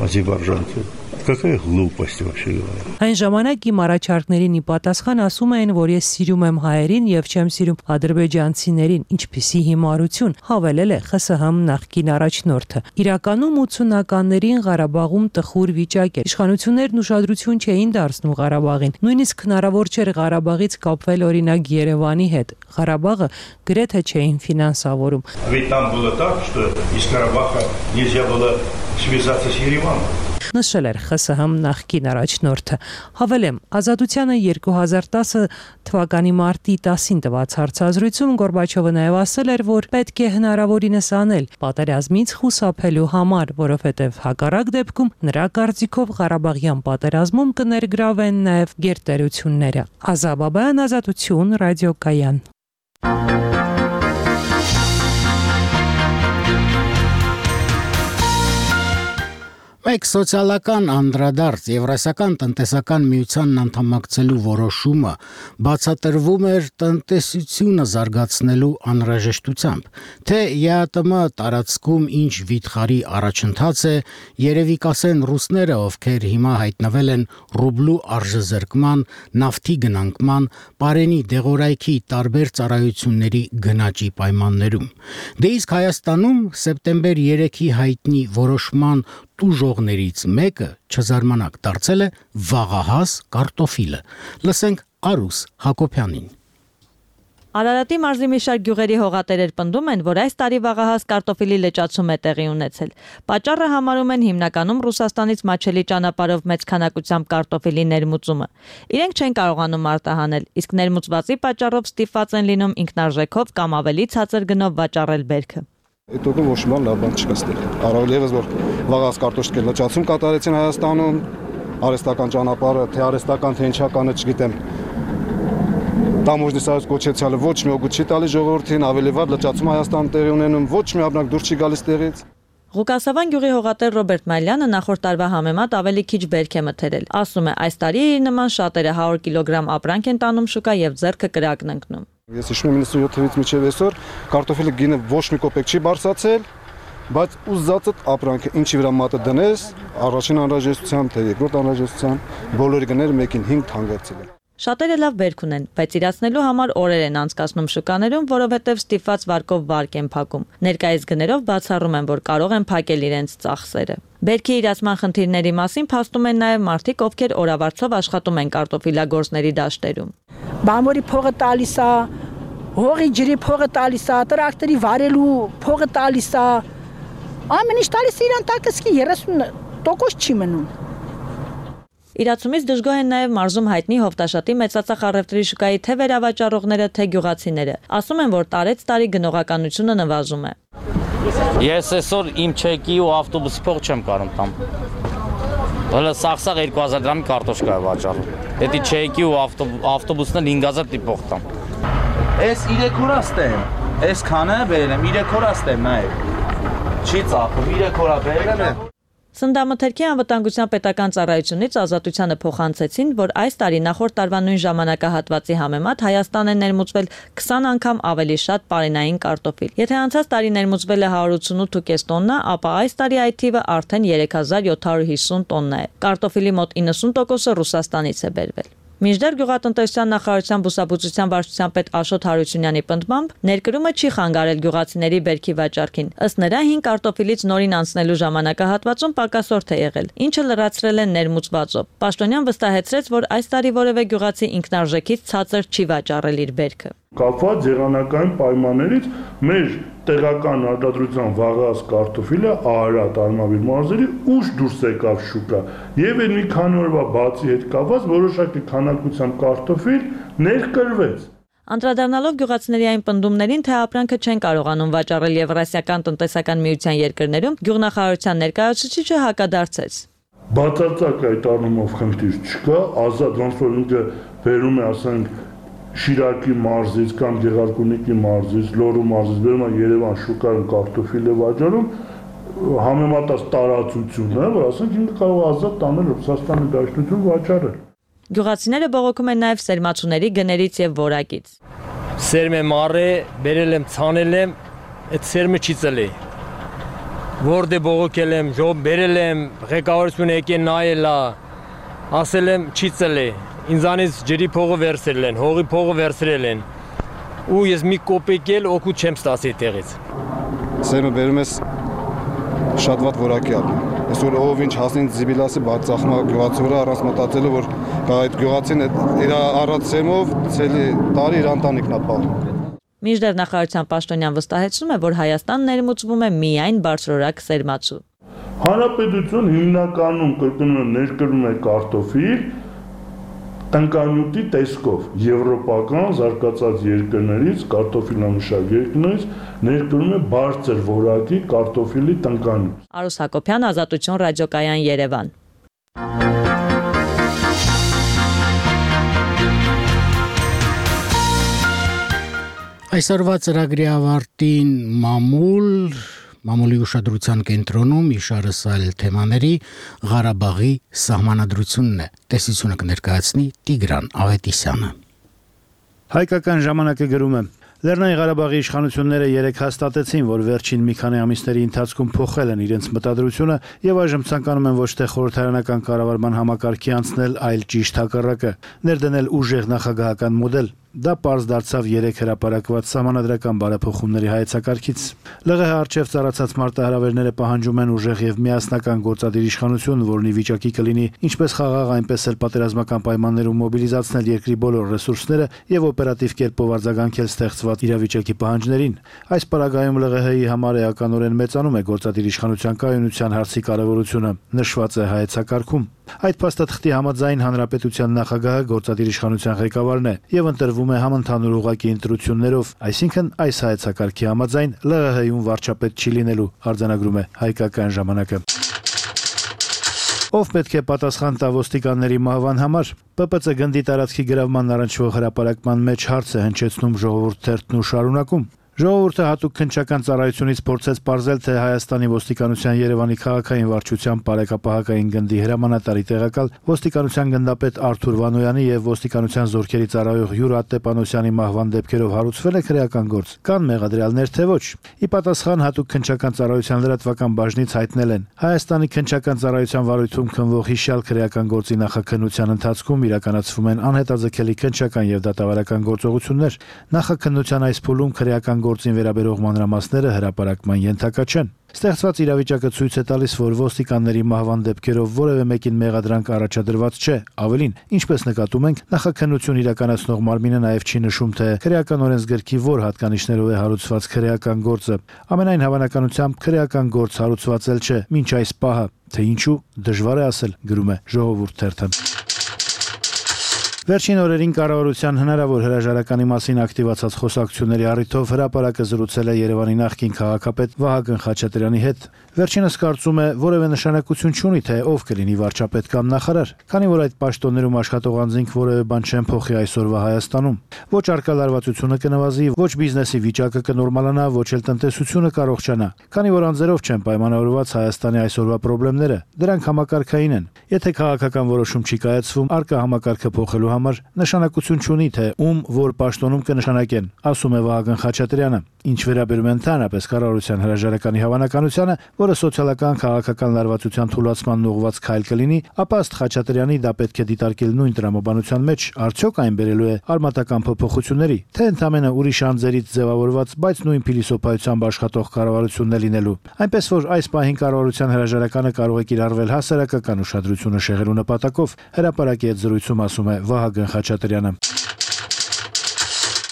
S8: азербайджанцев. Какая глупость вообще говоря.
S7: Այն ժամանակ իմ առաջարկներին ի պատասխան ասում էին, որ ես սիրում եմ հայերին եւ չեմ սիրում ադրբեջանցիներին, ինչպիսի հիմարություն, հավելել է ԽՍՀՄ նախկին առաջնորդը։ Իրականում 80-ականներին Ղարաբաղում տխուր վիճակ էր։ Իշխանություններն ուշադրություն չէին դարձնում Ղարաբաղին։ Նույնիսկ հնարավոր չէր Ղարաբաղից կապվել օրինակ Երևանի հետ։ Ղարաբաղը գրեթե չէին ֆինանսավորում։
S8: Ведь там было так, что из Карабаха нельзя было связаться с Ереваном.
S7: Նշել էր ԽՍՀՄ նախկին առաջնորդը։ Հավելեմ, Ազատությանը 2010 թվականի մարտի 10-ին տված հարցազրույցում Գորբաչովը նաև ասել էր, որ պետք է հնարավորինս անել պատերազմից խուսափելու համար, որովհետև հակառակ դեպքում նրա կարծիքով Ղարաբաղյան պատերազմում կներգրավեն նաև գերտերությունները։ Ազաբաբյան, Ազատություն, ռադիոկայան։
S1: Մեկ սոցիալական անդրադարձ Եվրասիական տնտեսական միությանն անդամակցելու որոշումը բացատրվում էր տնտեսությունը զարգացնելու անհրաժեշտությամբ, թե ԵԱՏՄ տարածքում ինչ վիթխարի առաջընթաց է, երևի կասեն ռուսները, ովքեր հիմա հայտնվել են ռուբլու արժեզրկման, նավթի գնանկման, պարենի դեղորայքի տարբեր ծառայությունների գնաճի պայմաններում։ Դե իսկ Հայաստանում սեպտեմբեր 3-ի հայտնի որոշման տուժողներից մեկը չզարմանակ դարձել է վաղահաս կարտոֆիլը։ Լսենք Արուս Հակոբյանին։
S10: Արարատի մարզի մի շարք գյուղերի հողատերեր պնդում են, որ այս տարի վաղահաս կարտոֆիլի լճացում է տեղի ունեցել։ Պատճառը համարում են հիմնականում Ռուսաստանից մաչելի ճանապարհով մեծ քանակությամբ կարտոֆիլի ներմուծումը։ Իրենք չեն կարողանում արտահանել, իսկ ներմուծվածի պատճառով ստիպված են լինում ինքնարժեքով կամ ավելի ցածր գնով վաճառել բերքը։
S11: Այդ օգն ոչ մի բան չկա ստեղ։ Առավել եւս որ վաղահաս կարտոֆիլի լճացում կատարեցին Հայաստանում, արհեստական ճանապարհը, թե արհեստական թե ինչականը չգիտեմ։ Տամոժնի սայս կոչեցյալը ոչ մի օգուտ չի տալի ժողովրդին, ավելի վատ լճացում Հայաստանում տեղի ունենում, ոչ մի ապրանք դուրս չի գալիս տեղից։
S10: Ղուկասավան գյուղի հողատեր Ռոբերտ Մալյանը նախորդ տարվա համեմատ ավելի քիչ բերք է մթերել։ Ասում է, այս տարի իր նման շատերը 100 կիլոգրամ ապրանք են տանում շուկա եւ ձեռքը կրակն ընկնում։
S11: Ես հիշում եմ 97-ից մինչև այսօր կարտոֆիլի գինը ոչ մի կոպեկ չի բարձրացել, բայց ուզածդ ապրանքը ինչի վրա մատը դնես, առաջին անհրաժեշտությամբ թե երկրորդ անհրաժեշտությամբ բոլորի գները 1-ին 5 թանկացել են։
S10: Շատերը լավ բերք ունեն, բայց իրացնելու համար օրեր են անցկացնում շուկաներում, որովհետև ստիպված վարկով վարկ են փակում։ Ներկայիս գներով բացառում են, որ կարող են փակել իրենց ծախսերը։ Բերքի իրացման խնդիրների մասին փաստում են նաև մարդիկ, ովքեր օրավարձով աշխատում են կարտոֆիլագործների դաշտերում։
S24: Բամորի փողը տալիս է, հողի ջրի փողը տալիս է, տրակտորի վարելու փողը տալիս է։ Ամեն ինչ տալիս է իրան տակսկի 30% չի մնում։
S10: Իրացումից դժգոհ են նաև մարզում հայտնի հովտաշատի մեծածախ առևտրի շուկայի թե վերավաճառողները, թե գյուղացիները։ Ասում են, որ տարեց տարի գնողականությունը նվազում է։
S25: Ես այսօր իմ չեկի ու ավտոբուսի փող չեմ կարող տամ։ Հələ սաղսաղ 2000 դրամի կարտոշկա է վաճառում։ Դա չեկի ու ավտոբուսն էլ 5000 տիպող տամ։
S26: Այս 3 օր աստեմ։ Այս քանը բերեմ 3 օր աստեմ նայեք։ Չի ծախում 3 օր բերել եմ։
S10: Սննդամթերքի անվտանգության պետական ծառայությունից Ազատությանը փոխանցեցին, որ այս տարի նախորդ տարվա նույն ժամանակահատվածի համեմատ Հայաստան է ներմուծվել 20 անգամ ավելի շատ պարենային կարտոֆիլ։ Եթե անցած տարի ներմուծվել է 188.5 տոննա, ապա այս տարի այդ թիվը արդեն 3750 տոննա է։ Կարտոֆիլի մոտ 90%-ը Ռուսաստանից է բերվել։ Մինչդեռ գյուղատնտեսության նախարարության բուսաբուծության վարչության պետ Աշոտ Հարությունյանի պնդմամբ ներկրումը չի խանգարել գյուղացիների բերքի վաճառքին։ Ըստ նրա 5 կարտոֆիլից նորին անցնելու ժամանակահատվածում պակասորդ է եղել, ինչը լրացրել են ներմուծվածով։ Պաշտոնյան վստահեցրեց, որ այս տարի որևէ գյուղացի ինքնարժեքից ցածր չի վաճառել իր բերքը։
S4: Կապված եղանակային պայմաններից մեր տեղական արտադրության վաղած կարտոֆիլը Արարատ Արմավիր մարզերի ուշ դուրս եկավ շուկա եւ այն մի քանի օրվա բացի հետ կապված որոշակի քանակությամբ կարտոֆիլ ներկրվեց։
S10: Անդրադառնալով գյուղացիների այն պնդումներին, թե ապրանքը չեն կարողանում վաճառել Եվրասիական տնտեսական միության երկրներում, գյուղնախարարության ներկայացուցիչը հակադարձեց։
S4: Բացարձակ այդ առումով խնդիր չկա, ազատ ոնց որ ինքը վերում է, ասենք, Շիրակի մարզից կամ Գեղարքունիքի մարզից, Լոռու մարզից բերում է Երևան շուկայում կարտոֆիլ է վաճառում, համեմատած տարածություն է, որ ասենք ինքը կարող է ազատ տանել Ռուսաստանի Դաշնություն վաճառել։
S10: Գյուղացիները բողոքում են նաև սերմացուների գներից եւ որակից։
S9: Սերմը մարե, բերել եմ, ցանել եմ, այդ սերմը չի ծլի։ Որտե բողոքել եմ, ժոբ բերել եմ, ղեկավարությունը եկել նայել է, ասել եմ չի ծլի։ Ինձանից ջրի փողը վերցրել են, հողի փողը վերցրել են։ Ու ես մի կոպեկ էլ օգուտ չեմ ստացի տեղից։
S11: Սերմը բերում ես շատ վատ որակի ալի։ Այսօր ով ինչ հասնին զիբիլասի բարձախմա գյուղացիները առանց մտածելու որ այդ գյուղացին իր առած սերմով ցելի տարի իր ընտանիքն ապահովում։
S10: Մինչդեռ նախարարության պաշտոնյան վստահեցնում է, որ Հայաստան ներմուծվում է միայն բարձրորակ սերմացու։
S4: Հանրապետություն հիմնականում կրկնում ներկրում է կարտոֆիլ տնկանյութի տեսքով եվրոպական զարգացած երկրներից կարտոֆիլանշակ երկրներից ներկրում է բարձր որակի կարտոֆիլի տնկանյութ։
S10: Արուս Հակոբյան, Ազատություն ռադիոկայան, Երևան։
S1: Այսօրվա ծրագրի ավարտին Մամուլի ուշադրության կենտրոնում իշարս այլ թեմաների Ղարաբաղի սահմանադրությունն է։ Տեսությունը կներկայացնի Տիգրան Ավետիսյանը։
S12: Հայկական ժամանակը գրում է. Լեռնային Ղարաբաղի իշխանությունները երեկ հաստատեցին, որ վերջին մի քանի ամիսների ընթացքում փոխել են իրենց մտադրությունը եւ այժմ ցանկանում են ոչ թե խորհրդարանական կառավարման համակարգի անցնել, այլ ճիշտ հակառակը՝ ներդնել ուժեղ նախագահական մոդել։ Դա պարզ դարձավ երեք հրապարակված սահմանադրական բարեփոխումների հայեցակարգից։ ԼՂՀ արչև ծառացած մարտահրավերները պահանջում են ուժեղ եւ միասնական գործադիր իշխանություն, որն ի վիճակի կլինի ինչպես խաղաղ, այնպես էլ պատերազմական պայմաններում մոբիլիզացնել երկրի բոլոր ռեսուրսները եւ օպերատիվ կերպով արձագանքել ստեղծված իրավիճակի պահանջներին։ Այս պարագայում ԼՂՀ-ի համար էականորեն մեծանում է գործադիր իշխանության կայունության հարցի կարեւորությունը, նշված է հայեցակարգում։ Այդ փաստաթղթի համաձայն հանրապետության նախագահը գործադիր իշխանության ղեկավարն է եւ ընտրվում է համընդհանուր ուղղակի ընտրություններով, այսինքն այս հայեցակարգի համաձայն ԼՂՀ-ում վարչապետ չի լինելու, արձանագրում է Հայկական ժամանակը։ Ով պետք է պատասխան տա ոստիկանների մահվան համար։ ՊՊՑ գնդի տարածքի գրավման առնչվող հրապարակման մեջ հարց է հնչեցնում Ժողովուրդ թերթն ու շարունակում։ Ժողովուրդը հատուկ քննչական ծառայությունից փորձեց ողջել, թե Հայաստանի ոստիկանության Երևանի քաղաքային վարչության բարեկապահական գնդի հրամանատարի տեղակալ ոստիկանության գնդապետ Արթուր Վանոյանի եւ ոստիկանության զորքերի ծառայող Յուրա Տեպանոսյանի մահվան դեպքերով հարուցվել է քրեական գործ։ Կան մեղադրյալներ թե ոչ։ Ի պատասխան հատուկ քննչական ծառայության լրատվական բաժնից հայտնել են. Հայաստանի քննչական ծառայության վարույթում քննվող հիշյալ քրեական գործի նախաքննության ընթացքում իրականացվում են անհետաձգելի քննչական եւ դատավարական գործողություններ։ Նախաքննության այս փուլում քրեական գործին վերաբերող մանրամասները հրապարակման ենթակա չեն։ Ստեղծված իրավիճակը ցույց է տալիս, որ ոստիկանների մահվան դեպքերով որևէ մեկին մեղադրանք առաջադրված չէ։ Ավելին, ինչպես նկատում ենք, նախաքննություն իրականացնող մարմինը նաև չի նշում, թե քրեական օրենսգրքի որ հատկանիշներով է հարուցված քրեական գործը։ Ամենայն հավանականությամբ քրեական գործ հարուցված էլ չէ, մինչ այս պահը, թե ինչու դժվար է ասել, գրում է Ժողովուրդ թերթը։ Վերջին օրերին կառավարության հնարավոր հրաժարականի մասին ակտիվացած խոսակցությունների առիթով հրապարակը զրուցել է Երևանի նախկին քաղաքապետ Վահագն Խաչատրյանի հետ։ Վերջինս կարծում է, որևէ նշանակություն չունի, թե ով կլինի վարչապետ կամ նախարար, քանի որ այդ պաշտոններում աշխատող անձինք որևէ բան չեն փոխի այսօրվա Հայաստանում։ Ոչ արկա լարվածությունը կնվազի, ոչ բիզնեսի վիճակը կնորմալանա, ոչ էլ տնտեսությունը կառողջանա, քանի որ անձերով չեն պայմանավորված Հայաստանի այսօրվա խնդիրները։ Դրանք համակարգային են։ Եթե քաղաքական որոշում չի կայացվում, արկա համակարգը փոխելու համար նշանակություն չունի, թե ում որ պաշտոնում կնշանակեն, ասում է Վահագն Խաչատրյանը։ Ինչ վերաբերում է ընդհանրապես կառավարության հրաժարականի հավանականությանը, որը սոցիալական քաղաքական լարվածության թուլացման ուղղված քայլ կլինի, ապա ըստ Խաչատրյանի դա պետք է դիտարկել նույն տրամաբանության մեջ, արդյոք այն բերելու է արմատական փոփոխությունների, թե ընդամենը ուրիշ անձերից ձևավորված, բայց նույն փիլիսոփայությամբ աշխատող կառավարությունն է լինելու։ Այնպես որ այս պահին կառավարության հրաժարականը կարող է կիրառվել հասարակական ուշադրությունը շեղելու նպատակով, հրապարակի հետ զրույցում ասում է Վահագն Խաչատրյանը։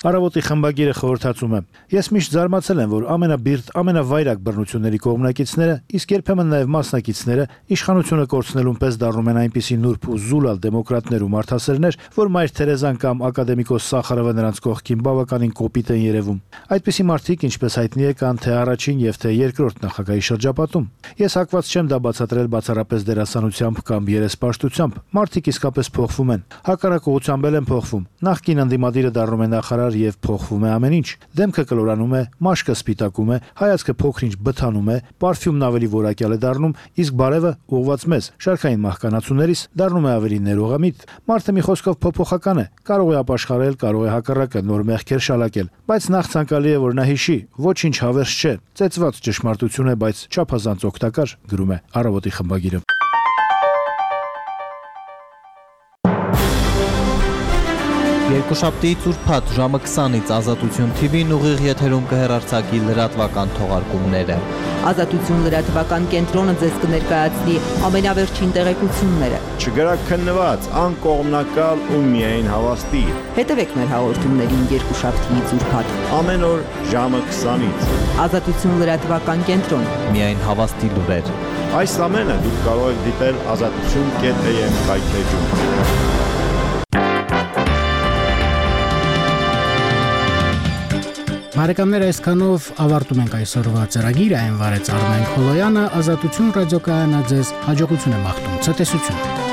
S12: Առավոտի խմբագիրը խորհրդածում է. Ես միշտ զարմացել եմ, որ ամենաբիրտ, ամենավայրակ բռնությունների կողմնակիցները, իսկ երբեմն նաև մասնակիցները իշխանությունը կորցնելուն պես դառնում են այնպիսի նուրբ ու զուլալ դեմոկրատներ ու մարդասերներ, որ Մայր Թերեզան կամ ակադեմիկոս Սախարովը նրանց կողքին բավականին կոպիտ են երևում։ Այդպիսի մարդիկ, ինչպես հայտնի է, կան թե առաջին եւ թե երկրորդ նախագահի շրջապատում։ Ես հակված չեմ դա բացատրել բացառապես դերասանությամբ կամ երեսպաշտությամբ։ Մարդիկ իսկապես փոխվում են։ Հակառակ ուղղությամբ են փոխվում։ Նախկին ընդդիմադիրը դառնում է նախարար եւ փոխվում է ամեն ինչ։ Դեմքը կլորանում է, մաշկը սպիտակում է, հայացքը փոքր-ինչ բթանում է, պարֆյումն ավելի որակյալ է դառնում, իսկ բարևը ուղված մեզ, շարքային մահկանացուներիս դառնում է ավելի ներողամիտ։ Մարդը մի խոսքով փոփոխական է, կարող է ապաշխարել, կարող է հակառակը նոր մեղքեր շալակել, բայց նախ ցանկալի է որ նա հիշի, ոչինչ հավերժ չէ, ծեծված ճշմարտություն է, բայց չափազանց օգտակար, գրում է Առավոտի խմբագիրը։
S13: Երկուշաբթի ծուրփաթ ժամը 20-ից Ազատություն TV-ն ուղիղ եթերում կհեռարձակի լրատվական թողարկումները։
S14: Ազատություն լրատվական կենտրոնը ձեզ կներկայացնի ամենավերջին տեղեկությունները։
S15: Չգրակ քննված, անկողմնակալ ու միայն հավաստի։
S14: Հետևեք մեր հաղորդումներին երկուշաբթի ծուրփաթ։
S15: Ամեն օր ժամը 20-ից։
S14: Ազատություն լրատվական կենտրոն։
S13: Միայն հավաստի լուրեր։
S15: Այս ամենը դուք կարող եք դիտել azatutun.am կայքեջում։
S1: Բարեկամներ, այսքանով ավարտում ենք այսօրվա ծրագիրը, այն վարեց Արմեն Խոլոյանը, Ազատություն ռադիոկայանը ձեզ հաջողություն է մաղթում, ցտեսություն։